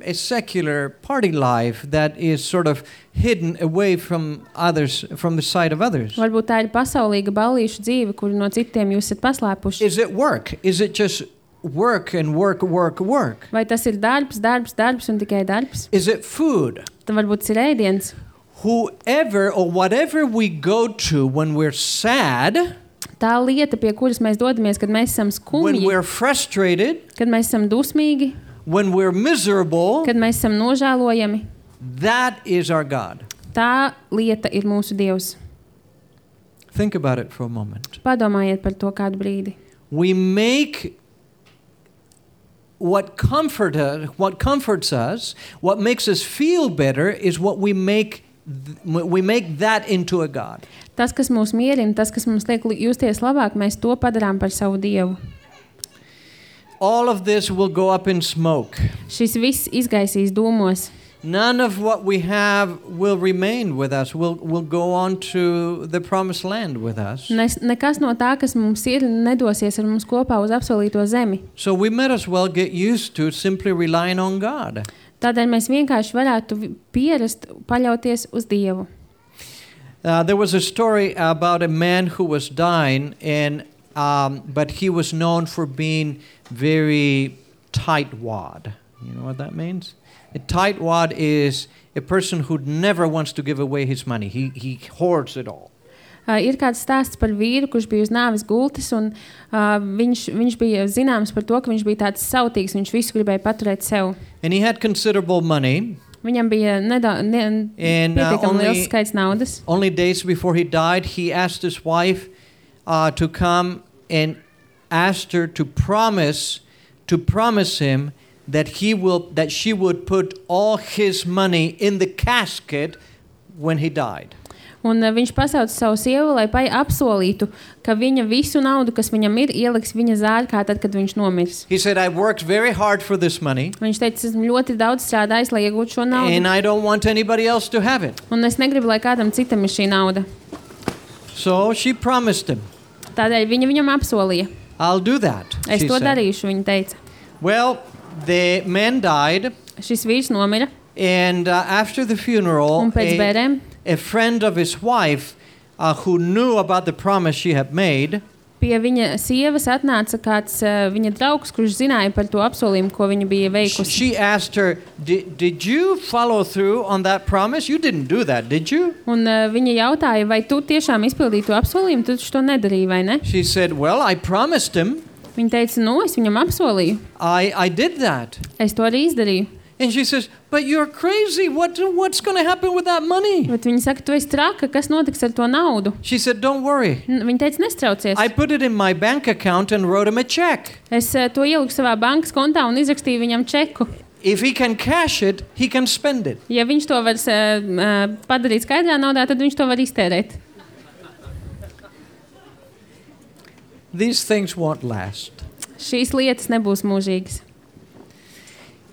a secular party life that is sort of hidden away from others, from the sight of others? Varbūt tā ir pasaulīga ballīšu dzīve, kuru no citiem jūs esat paslēpuši. Is it work? Is it just work and work, work, work? Vai tas ir darbs, darbs, darbs un tikai darbs? Is it food? Tad varbūt tas ir ēdiens. Whoever or whatever we go to when we're sad, Tā lieta, pie kuras mēs dodamies, kad mēs esam when skumji, we're frustrated, kad mēs esam dusmīgi, when we're miserable, kad mēs esam nožēlojami, that is our God. tā lieta ir mūsu Dievs. Think about it for a moment. Padomājiet par to kādu brīdi. We make what comforts us, what makes us feel better, is what we make that into a God. Tas, kas mūs mierina, tas, kas mums liek justies labāk, mēs to padarām par savu Dievu. All of this will go up in smoke. Šis viss izgaisīs dūmos. None of what we have will remain with us, will go on to the promised land with us. Nekas no tā, kas mums ir, nedosies ar mums kopā uz apsolīto zemi. So we might as well get used to simply relying on God. Tādēļ mēs vienkārši varētu pierast paļauties uz Dievu. There was a story about a man who was dying, but he was known for being very tightwad. You know what that means? A tightwad is a person who never wants to give away his money. He hoards it all. Ir kāds stāsts par vīru, kurš bija uz nāves gultas, un viņš bija zināms par to, ka viņš bija tāds sautīgs, viņš visu gribēja paturēt sev. And he had considerable money. Viņam bija pietiekami liels skaits naudas. Only days before he died, he asked his wife to come and asked her to promise him that she would put all his money in the casket when he died. Un viņš pasauca savu sievu, lai apsolītu, ka viņa visu naudu, kas viņam ir, ieliks viņa zārkā tad, kad viņš nomirs. He said, I worked very hard for this money. Viņš teica, esmu ļoti daudz strādājis, lai iegūtu šo naudu. And I don't want anybody else to have it. Un es negribu, lai kādam citam ir šī nauda. So she promised him. Tādēļ viņa viņam apsolīja. I'll do that. Es to darīšu, viņa teica. Well, the man died. Šis vīrs nomira. And after the funeral, Un pēc bērēm, a friend of his wife who knew about the promise she had made, pie viņa sievas atnāca kāds viņa draugs, kurš zināja par to apsolījumu, ko viņa bija veikusi. She asked her, did you follow through on that promise? You didn't do that, did you? Un viņa jautāja, vai tu tiešām izpildīji to apsolījumu, tu to nedarīji, vai ne? She said, well, I promised him. Viņa teica, es viņam apsolīju. I did that. Es to arī izdarīju. And she says, but you're crazy. What's going to happen with that money? Bet viņa saka, tu esi traka, kas notiks ar to naudu? She said, don't worry. Viņa teica, nestraucies. I put it in my bank account and wrote him a check. Es to ieliku savā bankas kontā un izrakstīju viņam čeku. If he can cash it, he can spend it. Ja viņš to var padarīt skaidrā naudā, tad viņš to var iztērēt. These things won't last. Šīs lietas nebūs mūžīgas.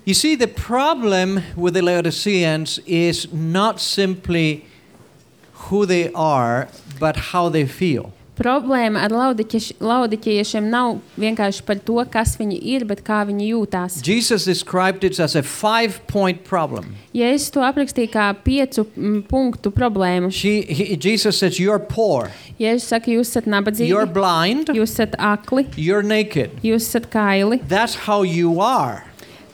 You see, the problem with the Laodiceans is not simply who they are, but how they feel. Problēma ar laodiķiešiem nav vienkārši par to, kas viņi ir, bet kā viņi jūtās. Jesus described it as a 5-point problem. Jēzus to aprakstīja kā 5 punktu problēmu. Jesus says, you're poor. Jēzus saka, jūs esat nabadzīgi. You're blind. Jūs esat akli. You're naked. Jūs esat kaili. That's how you are.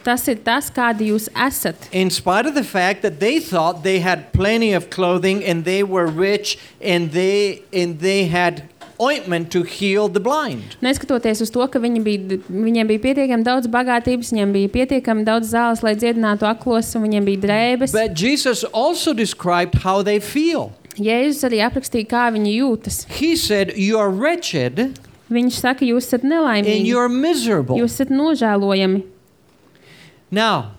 Tas ir tas, kādi jūs esat. In spite of the fact that they thought they had plenty of clothing and they were rich and they had ointment to heal the blind. Neskatoties uz to, ka viņiem bija pietiekami daudz bagātības, viņiem bija pietiekami daudz zāles, lai dziedinātu aklos, un viņiem bija drēbes. But Jesus also described how they feel. Jēzus arī aprakstīja, kā viņi jūtas. He said, you are wretched. Viņš saka, jūs esat nelaimīgi. And you're miserable. Jūs esat nožēlojami. Now,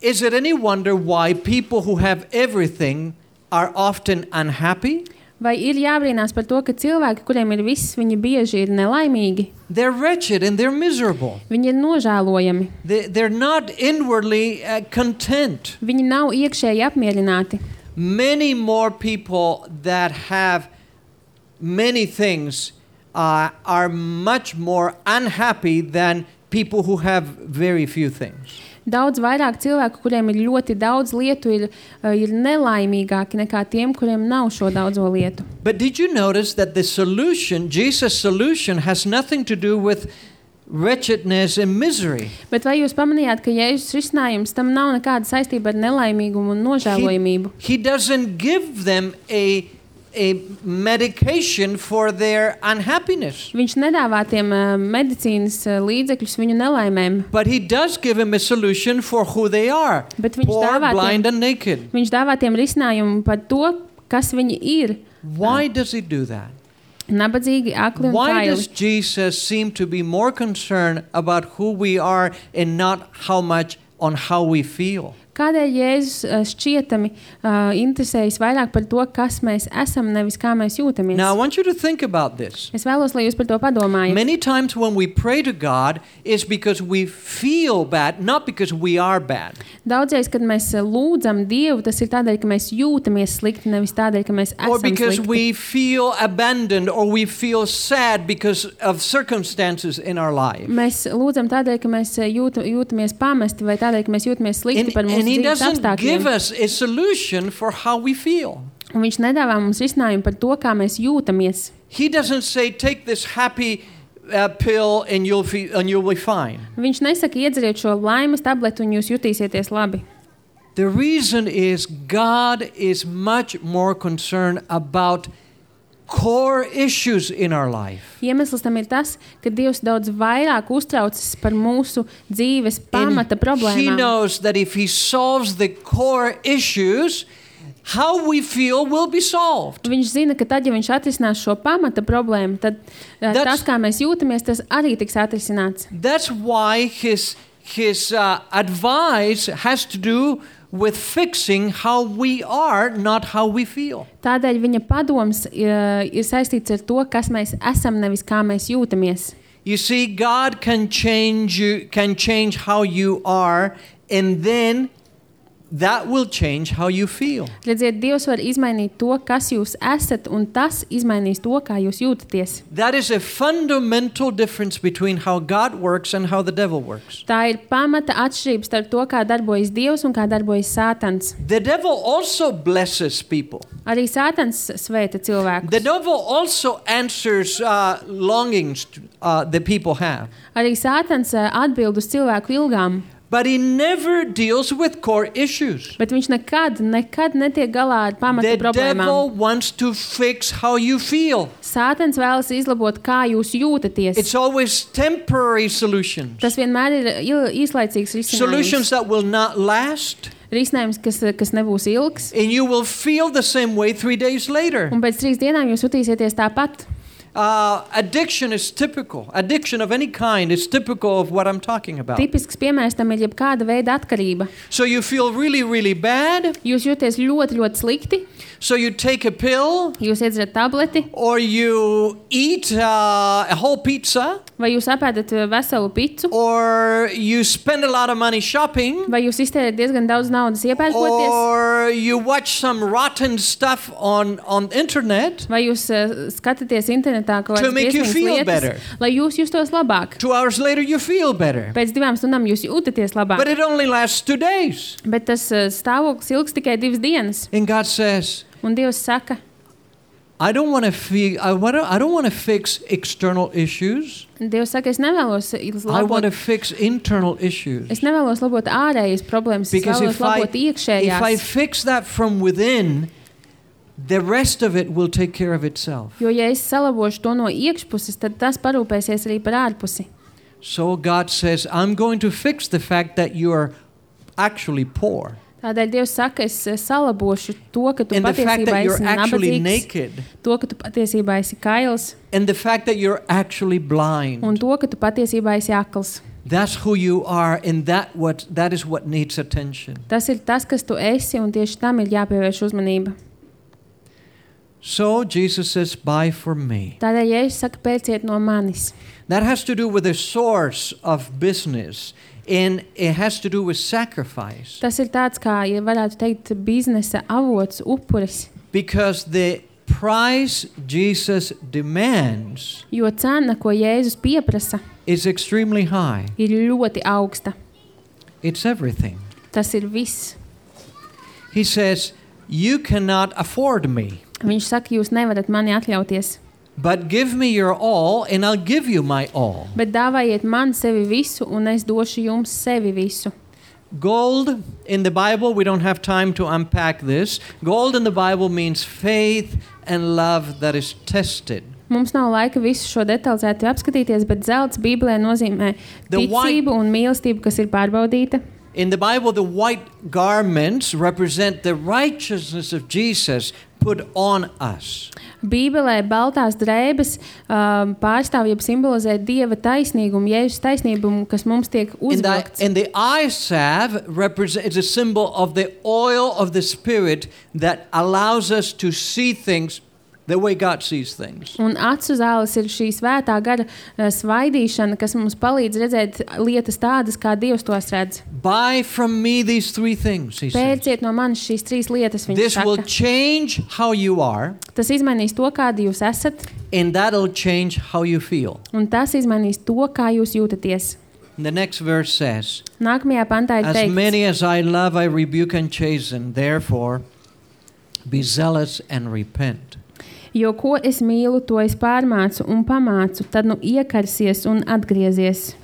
is it any wonder why people who have everything are often unhappy? Vai ir jābrīnās par to, ka cilvēki, kuriem ir viss, viņi bieži ir nelaimīgi? They're wretched and they're miserable. Viņi ir nožēlojami. They're not inwardly content. Viņi nav iekšēji apmierināti. Many more people that have many things are much more unhappy than people who have very few things. Daudz vairāk cilvēku, kuriem ir ļoti daudz lietu, ir nelaimīgāki nekā tiem, kuriem nav šo daudzo lietu. But did you notice that the solution, Jesus' solution, has nothing to do with wretchedness and misery. Bet vai jūs pamanījāt, ka Jēzus risinājums tam nav nekāda saistība ar nelaimīgumu un nožēlojamību? He doesn't give them a medication for their unhappiness. Viņš nedāvā tiem medicīnas līdzekļus viņu nelaimēm. But he does give them a solution for who they are. Bet viņš Poor, dāvā blind tiem, and naked. viņš dāvā tiem risinājumu par to, kas viņi ir. Why does he do that? Nabadzīgi, akli un Why does kaili. Jesus seem to be more concerned about who we are and not how much on how we feel? Kādēļ Jēzus šķietami interesējas vairāk par to, kas mēs esam, nevis kā mēs jūtamies? Now I want you to think about this. Es vēlos, lai jūs par to padomājat. Many times when we pray to God, it's because we feel bad, not because we are bad. Daudzreiz, kad mēs lūdzam Dievu, tas ir tādēļ, ka mēs jūtamies slikti, nevis tādēļ, ka mēs Or esam because slikti. we feel abandoned or we feel sad because of circumstances in our life. Mēs lūdzam tādēļ, ka mēs jūtamies pamesti vai tādēļ, ka mēs jūtamies slikti par mūsu And he dzīves doesn't give apstākļiem. us a solution for how we feel. Un viņš nedāvā mums risinājumu par to, kā mēs jūtamies. He doesn't say, take this happy pill and you'll be fine. Viņš nesaka, iedzeriet šo laimes tabletu un jūs jutīsieties labi. The reason is God is much more concerned about core issues in our life. Iemesls tam ir tas, ka Dievs daudz vairāk uztraucas par mūsu dzīves pamata He problēmām. knows that if he solves the core issues, how we feel will be solved. Viņš zina, ka tad, ja viņš atrisinās šo pamata problēmu, tad tas, kā mēs jūtamies, tas arī tiks atrisināts. That's why his advice has to do with fixing how we are, not how we feel. Tādēļ viņa padoms ir saistīts ar to, kas mēs esam, nevis kā mēs jūtamies. You see, God can change how you are, and then that will change how you feel. Redziet, Dievs var izmainīt to, kas jūs esat, un tas izmainīs to, kā jūs jūtaties. That is a fundamental difference between how God works and how the devil works. Tā ir pamata atšķirība starp to, kā darbojas Dievs un kā darbojas Sātans. The devil also blesses people. Arī Sātans svēta cilvēkus. The devil also answers longings that people have. Arī Sātans atbild uz cilvēku ilgām. But he never deals with core issues. Bet viņš nekad netiek galā ar pamata The problēmām. devil wants to fix how you feel. Sātans vēlas izlabot, kā jūs jūtaties. It's always temporary solutions. Tas vienmēr ir īslaicīgs risinājums. Solutions that will not last. Risinājums, kas nebūs ilgs. And you will feel the same way 3 days later. Un pēc 3 dienām jūs jutīsieties tāpat. Addiction is typical. Addiction of any kind is typical of what I'm talking about. Tipisks piemērs tam ir jebkāda veida atkarība. So you feel really, really bad. Jūs jūties ļoti, ļoti slikti. So you take a pill Jūs iedzerat tableti. or you eat a whole pizza Vai jūs apēdat veselu picu. or you spend a lot of money shopping Vai jūs iztērējat diezgan daudz naudas iepērkoties. or you watch some rotten stuff on internet. Vai jūs skatāties internetā kaut To kādas make you briesmīgas feel lietas, better. lai jūs justos labāk. 2 hours later you feel better. Pēc 2 stundām jūs jūtaties labāk. But it only lasts 2 days. Bet tas stāvoklis ilgs tikai 2 dienas. And God says, Un Dievs saka, I don't want to fix external issues. Dievs saka, es nevēlos I want to labot, fix internal issues. es nevēlos labot ārējas problēmas, es Because vēlos if I labot iekšējās. fix that from within, the rest of it will take care of itself. Jo, ja es salabošu to no iekšpuses, tad tas parūpēsies arī par ārpusi. So God says, I'm going to fix the fact that you are actually poor. Tādēļ Dievs saka, es salabošu to, ka tu And the fact patiesībā that you're esi actually nabadzīgs, naked. to, ka tu patiesībā esi kails, And the fact that you're actually un blind. to, ka tu patiesībā esi akls. That's who you are, and that is what needs attention. Tas ir tas, kas tu esi, un tieši tam ir jāpievērš uzmanība. So Jesus says, buy from me. Tādēļ, ja es saku, pērciet no manis, That has to do with the source of business, and it has to do with sacrifice. tas ir tāds, kā, ja varētu teikt, biznesa avots, upuris. Because the price Jesus demands Jo cena, ko Jēzus pieprasa, is extremely high. ir ļoti augsta. It's everything. Tas ir viss. He says, you cannot afford me. Viņš saka, jūs nevarat mani atļauties. But give me your all, and I'll give you my all. Bet dāvājiet man sevi visu, un es došu jums sevi visu. Gold in the Bible, we don't have time to unpack this. Gold in the Bible means faith and love that is tested. Mums nav laika visu šo detalizēti apskatīties, bet zelts Bībelē nozīmē ticību un mīlestību, kas ir pārbaudīta. In the Bible, the white garments represent the righteousness of Jesus put on us. Bībelē baltās drēbes pārstāv jeb simbolizē Dieva taisnīgumu, Jēzus taisnīgumu, kas mums tiek uzvilkts. And the eye salve is a symbol of the oil of the Spirit that allows us to see things the way God sees things. Un acu zāles ir šī svētā gara svaidīšana, kas mums palīdz redzēt lietas tādas, kā Dievs tos redz. Buy from me these three things, he says. Pērciet no manis šīs trīs lietas, viņš This saka. will change how you are, Tas izmainīs to, kādi jūs esat, and that'll change how you feel. un tas izmainīs to, kā jūs jūtaties. And the next verse says, Nākamajā pantā ir as teikts, many as I love, I rebuke and chasten. Therefore, be zealous and repent. jo ko es mīlu, to es pārmācu un pamācu, tad nu iekarsies un atgriezies.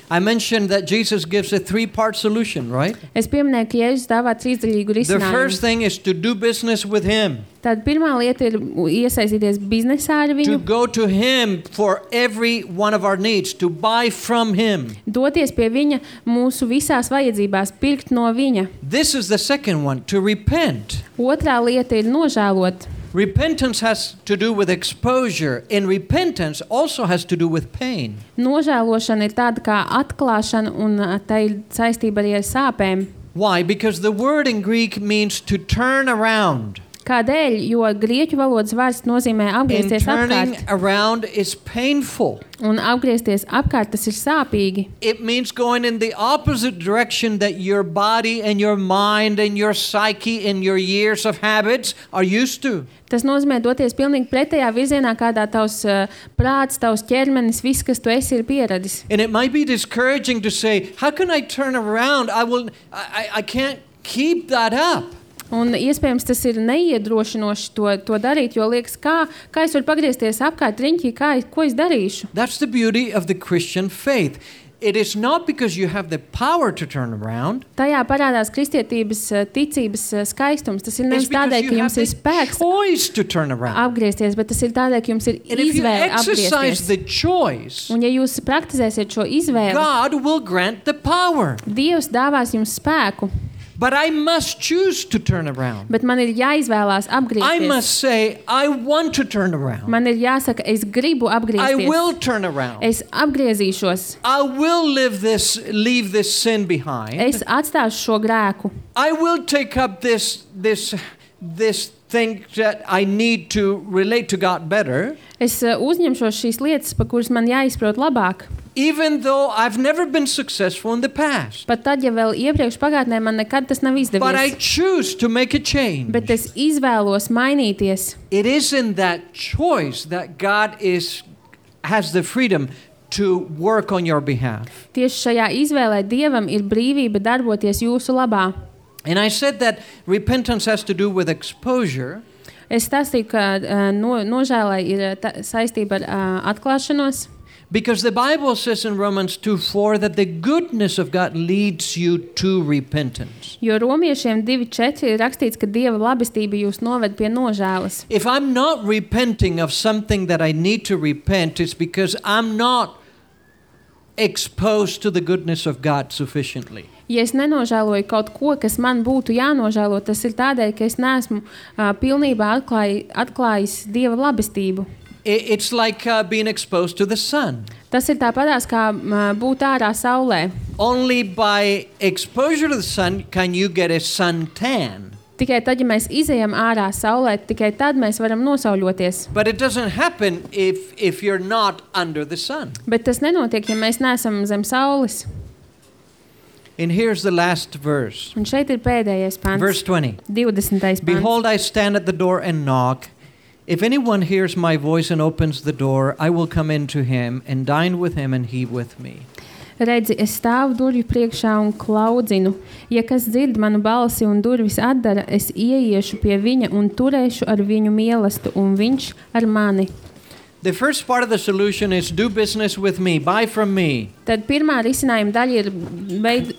I mentioned that Jesus gives a three-part solution, right? Es pieminēju, ka Jēzus dāvā trīsdaļīgu The first risinājumu. thing is to do business with him, Tad pirmā lieta ir iesaistīties biznesā ar to viņu, go to him for every one of our needs, to buy from him. doties pie viņa mūsu visās vajadzībās, pirkt no viņa. This is the second one, to repent. Otrā lieta ir nožēlot. Repentance has to do with exposure, and repentance also has to do with pain. Nožēlošana ir tāda kā atklāšana, un tā ir saistība arī ar sāpēm. Why? Because the word in Greek means to turn around. Kādēļ? Jo grieķu valodas vārds nozīmē And apgriezties turning apkārt. around is painful. Un apgriezties apkārt tas ir sāpīgi. It means going in the opposite direction that your body and your mind and your psyche and your years of habits are used to. Tas nozīmē doties pilnīgi pretējā virzienā, kādā tavs prāts, tavs ķermenis, viss, kas tu esi, ir pieradis. And it might be discouraging to say, how can I turn around? I can't keep that up. Un iespējams tas ir neiedrošinoši to darīt, jo liekas, kā es varu pagriezties apkārt riņķī, ko es darīšu. That's the beauty of the Christian faith. It is not because you have the power to turn around. Tajā parādās kristietības ticības skaistums. Tas ir It's nevis because tādēļ, you ka have jums ir the spēks choice to turn around. apgriezties, bet tas ir tādēļ, ka jums ir And if you izvēle exercise apgriezties. the choice, Un ja jūs praktizēsiet šo izvēli, God will grant the power. Dievs dāvās jums spēku, But I must choose to turn around. bet man ir jāizvēlās I apgriezties. must say, I want to turn around. Man ir jāsaka, es gribu I apgriezties. will turn around. Es apgriezīšos. I will leave this sin behind. Es atstāšu šo grēku. I will take up this thing that I need to relate to God better, Es uzņemšos šīs lietas, pa kuras man jāizprot labāk. even though I've never been successful in the past. Pat tad, ja vēl iepriekš pagātnē man nekad tas nav But I izdevies. choose to make a change. Bet es izvēlos mainīties. It is in that choice that God has the freedom to work on your behalf. Tieši šajā izvēlē Dievam ir brīvība darboties jūsu labā. And I said that repentance has to do with exposure. Es stāstīju, ka nožēlai ir saistība ar atklāšanos. Because the Bible says in Romans 2:4 that the goodness of God leads you to repentance. Jo romiešiem 2:4 ir rakstīts, ka Dieva labestība jūs noved pie nožēlas. If I'm not repenting of something that I need to repent, it's because I'm not exposed to the goodness of God sufficiently. Ja es nenožēloju kaut ko, kas man būtu jānožēlo, tas ir tādēļ, ka es neesmu pilnībā atklājis Dieva labestību. It's like being exposed to the sun. Tas ir tāpatās, kā būt ārā saulē. Only by exposure to the sun can you get a suntan. Tikai tad, ja mēs izejam ārā saulē, tikai tad mēs varam nosauļoties. But it doesn't happen if you're not under the sun. Bet tas nenotiek, ja mēs neesam zem saules. And here's the last verse. Un šeit ir pēdējais pants. Verse 20. 20. pants. Behold, I stand at the door and knock. If anyone hears my voice and opens the door, I will come into him and dine with him and he with me. Redzi, es stāvu durvju priekšā un klaudzinu. Ja kas dzird manu balsi un durvis atdara, es ieiešu pie viņa un turēšu ar viņu mīlestību, un viņš ar mani. The first part of the solution is do business with me, buy from me. Tad pirmā risinājuma daļa ir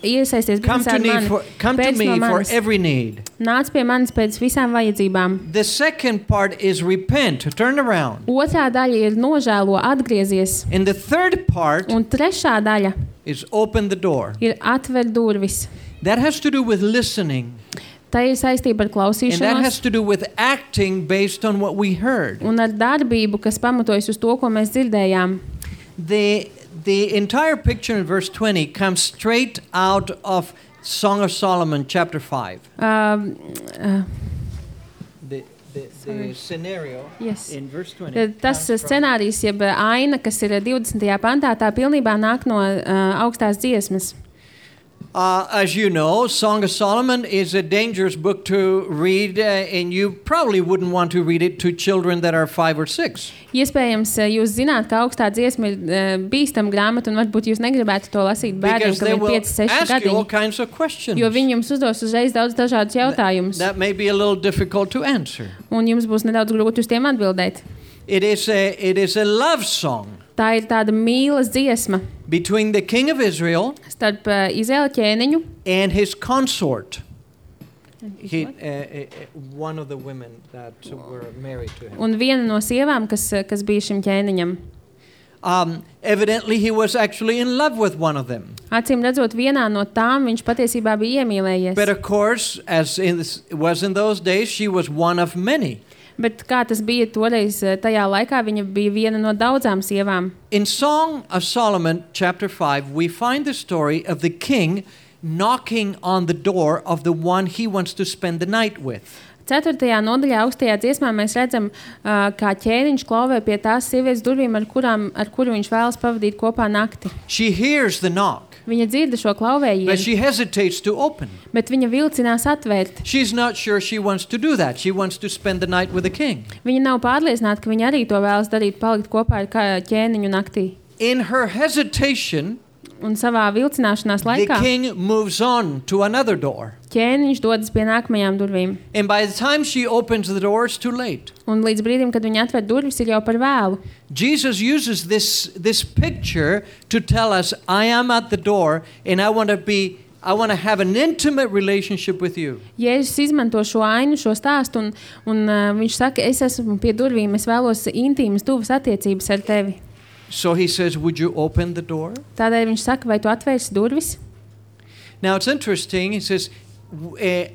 iesaisties biznesā ar mani. Come to me for every need. Nāc pie manis pēc visām vajadzībām. The second part is repent, turn around. Otrā daļa ir nožēlo, atgriezies. And the third part Un trešā daļa is open the door. ir atver durvis. That has to do with listening. Tā ir saistība ar And that has klausīšanos to do with acting based on what we heard. un ar darbību, kas pamatojas uz to, ko mēs dzirdējām. The entire picture in verse 20 comes straight out of Song of Solomon, chapter 5. The scenario Yes. in verse 20. Tas scenārijs, jeb aina, kas ir 20. pantā, tā pilnībā nāk no augstās dziesmas. As you know, Song of Solomon is a dangerous book to read, and you probably wouldn't want to read it to children that are 5 or 6. Iespējams, jūs zināt, ka augstā dziesma ir bīstama grāmata, un varbūt jūs negribētu to lasīt bērniem, Because they kam ir will 5, 6 ask you all gadiņi. kinds of questions Jo viņi jums uzdos uzreiz daudz dažādus jautājumus, that may be a little difficult to answer. un jums būs nedaudz grūti uz tiem atbildēt. It is a love song Tā ir tāda mīlas dziesma between the king of Israel starp Izraēla ķēniņu and his consort. One of the women that were married to him. un viena no sievām, kas bija šim ķēniņam. Evidently, he was actually in love with one of them. Acīm redzot, vienā no tām viņš patiesībā bija iemīlējies. But of course, as was in those days, she was one of many. Bet kā tas bija toreiz, tajā laikā viņa bija viena no daudzām sievām. In Song of Solomon, chapter 5, we find the story of the king knocking on the door of the one he wants to spend the night with. 4. nodaļā augstajā dziesmā mēs redzam, kā ķēniņš klauvē pie tās sievietes durvīm, ar kuru viņš vēlas pavadīt kopā nakti. She hears the knock, Viņa dzirda šo but klauvējienu, she hesitates to open. bet viņa vilcinās atvērt. She's not sure she wants to do that. She wants to spend the night with the king. Viņa nav pārliecināta, ka viņa arī to vēlas darīt, palikt kopā ar ķēniņu naktī. In her hesitation, Un savā vilcināšanās the laikā king moves on to another door. ķēniņš dodas pie nākamajām durvīm. And by the time she opens the door, it's too late. Un līdz brīdim, kad viņa atver durvis, ir jau par vēlu. Jesus uses this picture to tell us, I am at the door and I want to have an intimate relationship with you. Jēzus izmanto šo ainu, šo stāstu, un viņš saka, es esmu pie durvīm, es vēlos intīmas, tuvas attiecības ar tevi. So he says, would you open the door? Tādēļ viņš saka, vai tu atvērsi durvis? Now it's interesting. He says,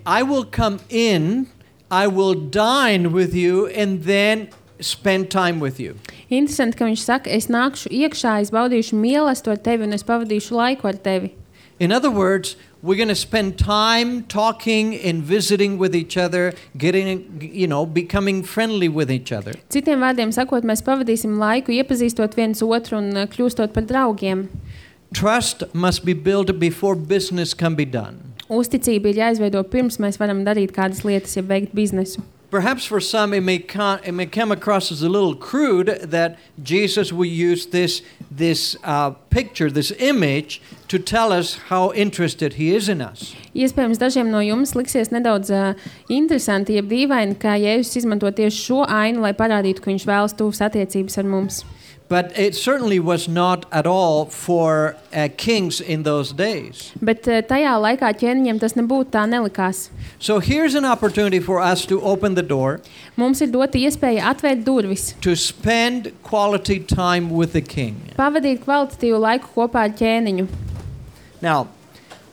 I will come in, I will dine with you, and then spend time with you. Interesanti, ka viņš saka, es nākšu iekšā, es baudīšu mīlestību ar tevi un es pavadīšu laiku ar tevi. In other words, we're going to spend time talking and visiting with each other, becoming friendly with each other. Citiem vārdiem sakot, mēs pavadīsim laiku iepazīstot viens otru un kļūstot par draugiem. Trust must be built before business can be done. Uzticība ir jāizveido pirms mēs varam darīt kādas lietas, ja veikt biznesu. Perhaps for some it may come across as a little crude that Jesus will use this picture, this image, to tell us how interested he is in us. Iespējams, dažiem no jums liksies nedaudz interesanti, ja dīvaini, kā Jēzus izmanto tieši šo ainu, lai parādītu, ka viņš vēlas tuvas attiecības ar mums. But it certainly was not at all for kings in those days. Bet tajā laikā ķēniņiem tas nebūtu tā nelikās. So here's an opportunity for us to open the door. Mums ir dota iespēja atvērt durvis, To spend quality time with the king. pavadīt kvalitatīvu laiku kopā ar ķēniņu. Now,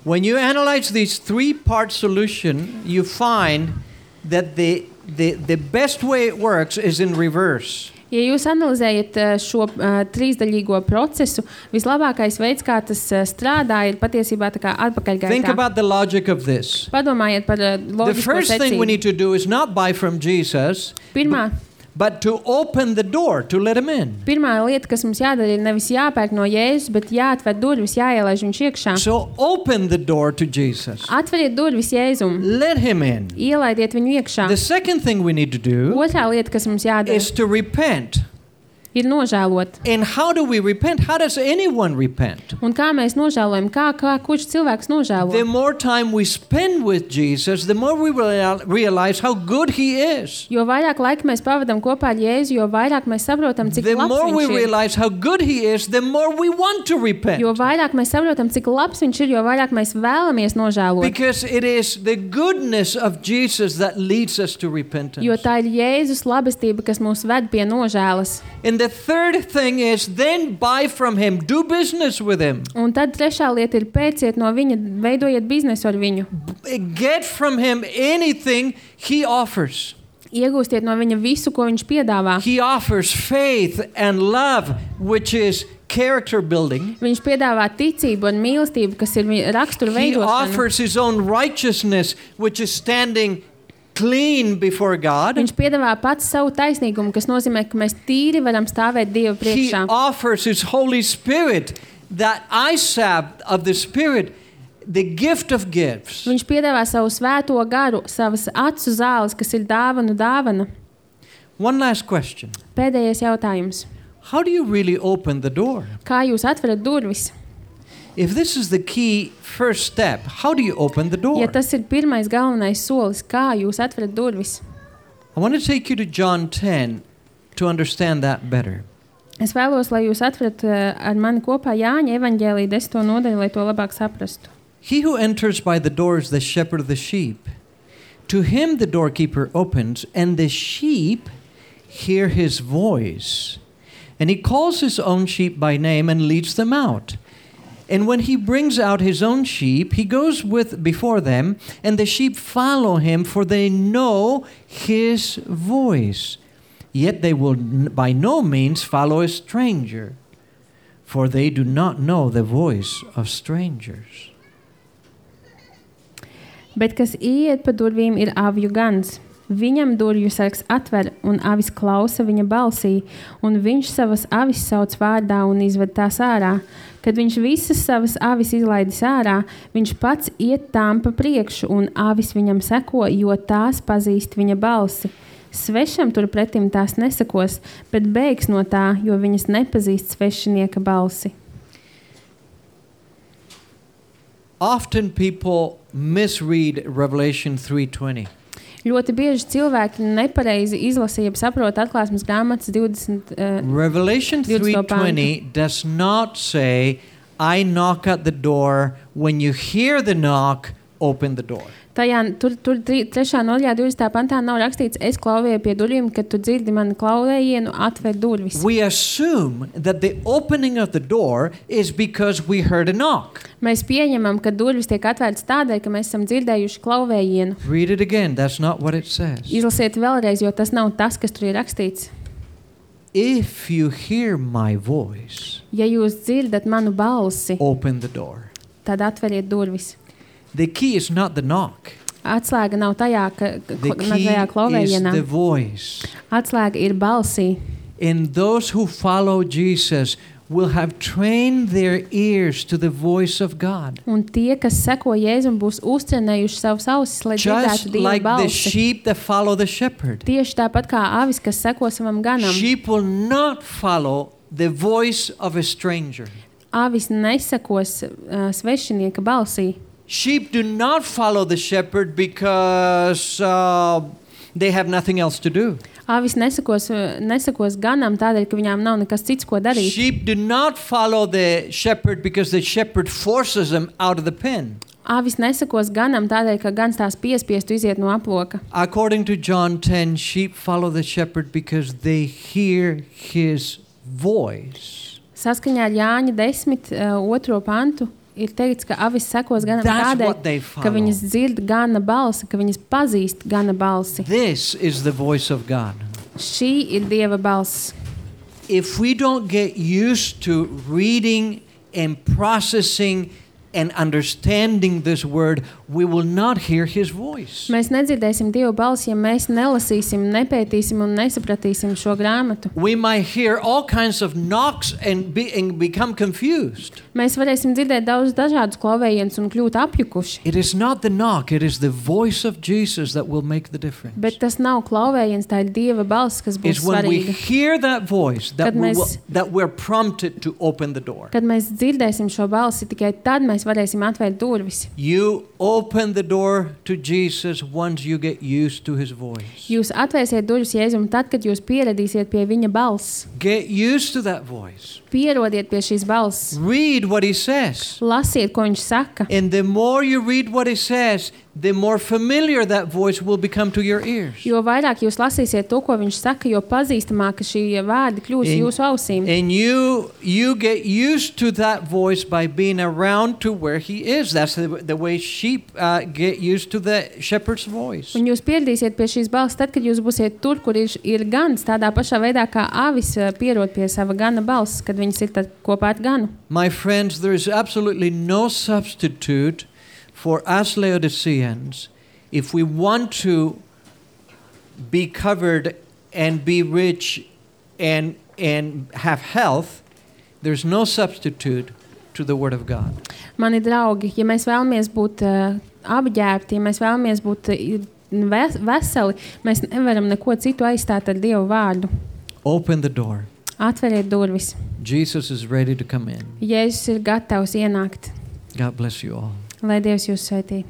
when you analyze this three-part solution, you find that the best way it works is in reverse. Ja jūs analizējat šo trīsdaļīgo procesu, vislabākais veids, kā tas strādā, ir patiesībā tā kā Think atpakaļgaitā. about the logic of this. Padomājiet par The loģisko first thing we secību. need to do is not buy from Jesus, Pirmā but to open the door to let him in. lieta, kas mums jādara, ir nevis jāpērk no Jēzus, bet jāatver durvis, jāielaiž viņš iekšā. So open the door to Jesus. Atveriet durvis Jēzum, Let him in. ielaidiet viņu iekšā. The second thing we need to do Otrā lieta, kas mums jādara, is to repent. ir nožēlot. And how do we repent? How does anyone repent? Un kā mēs nožēlojam? Kurš cilvēks nožēlo? The more time we spend with Jesus, the more we realize how good He is. Jo vairāk laika mēs pavadām kopā ar Jēzu, jo vairāk mēs saprotam, cik The labs more we viņš ir. realize how good He is, the more we want to repent. Jo vairāk mēs saprotam, cik labs viņš ir, jo vairāk mēs vēlamies nožēlot. Because it is the goodness of Jesus that leads us to repentance. Jo tā ir Jēzus labestība, kas mūs ved pie nožēlas. And the third thing is then buy from Him, do business with Him. Un tad trešā lieta ir pērciet no viņa, veidojiet biznesu ar viņu. Get from Him anything He offers. Iegūstiet no viņa visu, ko viņš piedāvā. He offers faith and love, which is character building. Viņš piedāvā ticību un mīlestību, kas ir rakstura He veidošana. offers His own righteousness, which is standing clean before God. Viņš piedāvā pats savu taisnīgumu, kas nozīmē, ka mēs tīri varam stāvēt Dieva He priekšā. offers His Holy Spirit, that eyesap of the Spirit, the gift of gifts. Viņš piedāvā savu svēto garu, savas acu zāles, kas ir dāvana. One last question. Pēdējais jautājums. How do you really open the door? Kā jūs atverat durvis? If this is the key first step, how do you open the door? Ja tas ir pirmais galvenais solis, kā jūs atverat durvis? I want to take you to John 10 to understand that better. Es vēlos, lai jūs atverat ar mani kopā Jāņa evaņģēlija 10. nodaļu, lai to labāk saprastu. He who enters by the door is the shepherd of the sheep. To him the doorkeeper opens, and the sheep hear his voice. And he calls his own sheep by name and leads them out. And when he brings out his own sheep, he goes before them, and the sheep follow him, for they know his voice. Yet they will by no means follow a stranger, for they do not know the voice of strangers. Bet kas ieiet pa durvīm ir avju gans. Viņam durvju sargs atver, un avis klausa viņa balsī, un viņš savas avis sauc vārdā un izved tās ārā. Kad viņš visas savas avis izlaidis ārā, viņš pats iet tām pa priekšu, un avis viņam seko, jo tās pazīst viņa balsi. Svešam turpretim tās nesakos, bet bēgs no tā, jo viņas nepazīst svešinieka balsi. Often people misread Revelation 3:20. Ļoti bieži cilvēki nepareizi izlasa, jeb saprot atklāsmes grāmatas 20. Revelation 3:20 does not say, I knock at the door, when you hear the knock, open the door. Tur 3. nodaļā 20. pantā nav rakstīts, es klauvēju pie durvīm, kad tu dzirdi mani klauvējienu, atver durvis. We assume that the opening of the door is because we heard a knock. Mēs pieņemam, ka durvis tiek atvērtas tādēļ, ka mēs esam dzirdējuši klauvējienu. Read it again. That's not what it says. Izlasiet vēlreiz, jo tas nav tas, kas tur ir rakstīts. If you hear my voice, Ja jūs dzirdat manu balsi, open the door. tad atveriet durvis. The key is not the knock. Atslēga nav tajā, The key tajā is klauvējienā. the voice. Atslēga ir balsī. And those who follow Jesus will have trained their ears to the voice of God. Un tie, kas seko Jēzum, būs uztrenējuši savus ausis, lai dzirdētu Just Dieva like the balsi. sheep that follow the shepherd. Tieši tāpat kā avis, kas seko savam ganam. Sheep will not follow the voice of a stranger. Avis nesakos svešinieka balsī. Sheep do not follow the shepherd because they have nothing else to do. Avis nesakos ganam tādēļ, ka viņām nav nekas cits, ko darīt. Sheep do not follow the shepherd because the shepherd forces them out of the pen. Avis nesakos ganam tādēļ, ka gans tās piespiestu iziet no aploka. According to John 10, sheep follow the shepherd because they hear his voice. Saskaņā ar Jāņa 10. 2. pantu ir teikts, ka avis sekos ganam That's what they tādēļ, follow. ka viņas dzird gana balsi, ka viņas pazīst gana balsi. This is the voice of God. Šī ir Dieva balss. If we don't get used to reading and processing and understanding this word, we will not hear his voice. Mēs nedzirdēsim Dieva balsi, ja mēs nelasīsim, nepētīsim un nesapratīsim šo grāmatu. We might hear all kinds of knocks and become confused. Mēs varēsim dzirdēt daudz dažādus klauvējienus un kļūt apjukuši. It is not the knock, it is the voice of Jesus that will make the difference. Bet tas nav klauvējiens, tā ir Dieva balss, kas būs It's when we svarīga. hear that voice that, Kad that we're prompted to open the door. Kad mēs dzirdēsim šo balsi, tikai tad mēs varēsim atvērt durvis. You open the door to Jesus once you get used to his voice. Jūs atvērsiet durvis Jēzum tad, kad jūs pieradīsiet pie viņa balss. Get used to that voice. Pierodiet pie šīs balss. Read what he says. Lasiet, ko viņš saka. And the more you read what he says, the more familiar that voice will become to your ears. Jo vairāk jūs lasīsiet to, ko viņš saka, jo pazīstamāk šī vārdi kļūs jūsu ausīm. And you get used to that voice by being around to where he is. That's the way sheep get used to the shepherd's voice. Un jūs pieradīsiet pie šīs balss tad, kad jūs būsiet tur, kur ir gans, tādā pašā veidā kā avis pierod pie sava gana balss, kad viņas ir tad kopā ar ganu. My friends, there is absolutely no substitute for us Laodiceans if we want to be covered and be rich and have health. There's no substitute to the Word of God. Mani draugi, ja mēs vēlamies būt apģērbti, ja mēs vēlamies būt veseli, mēs nevaram neko citu aizstāt ar Dievu vārdu. Open the door. Atveriet durvis. Jesus is ready to come in. Jēzus ir gatavs ienākt. God bless you all. Lai Dievs jūs svētī.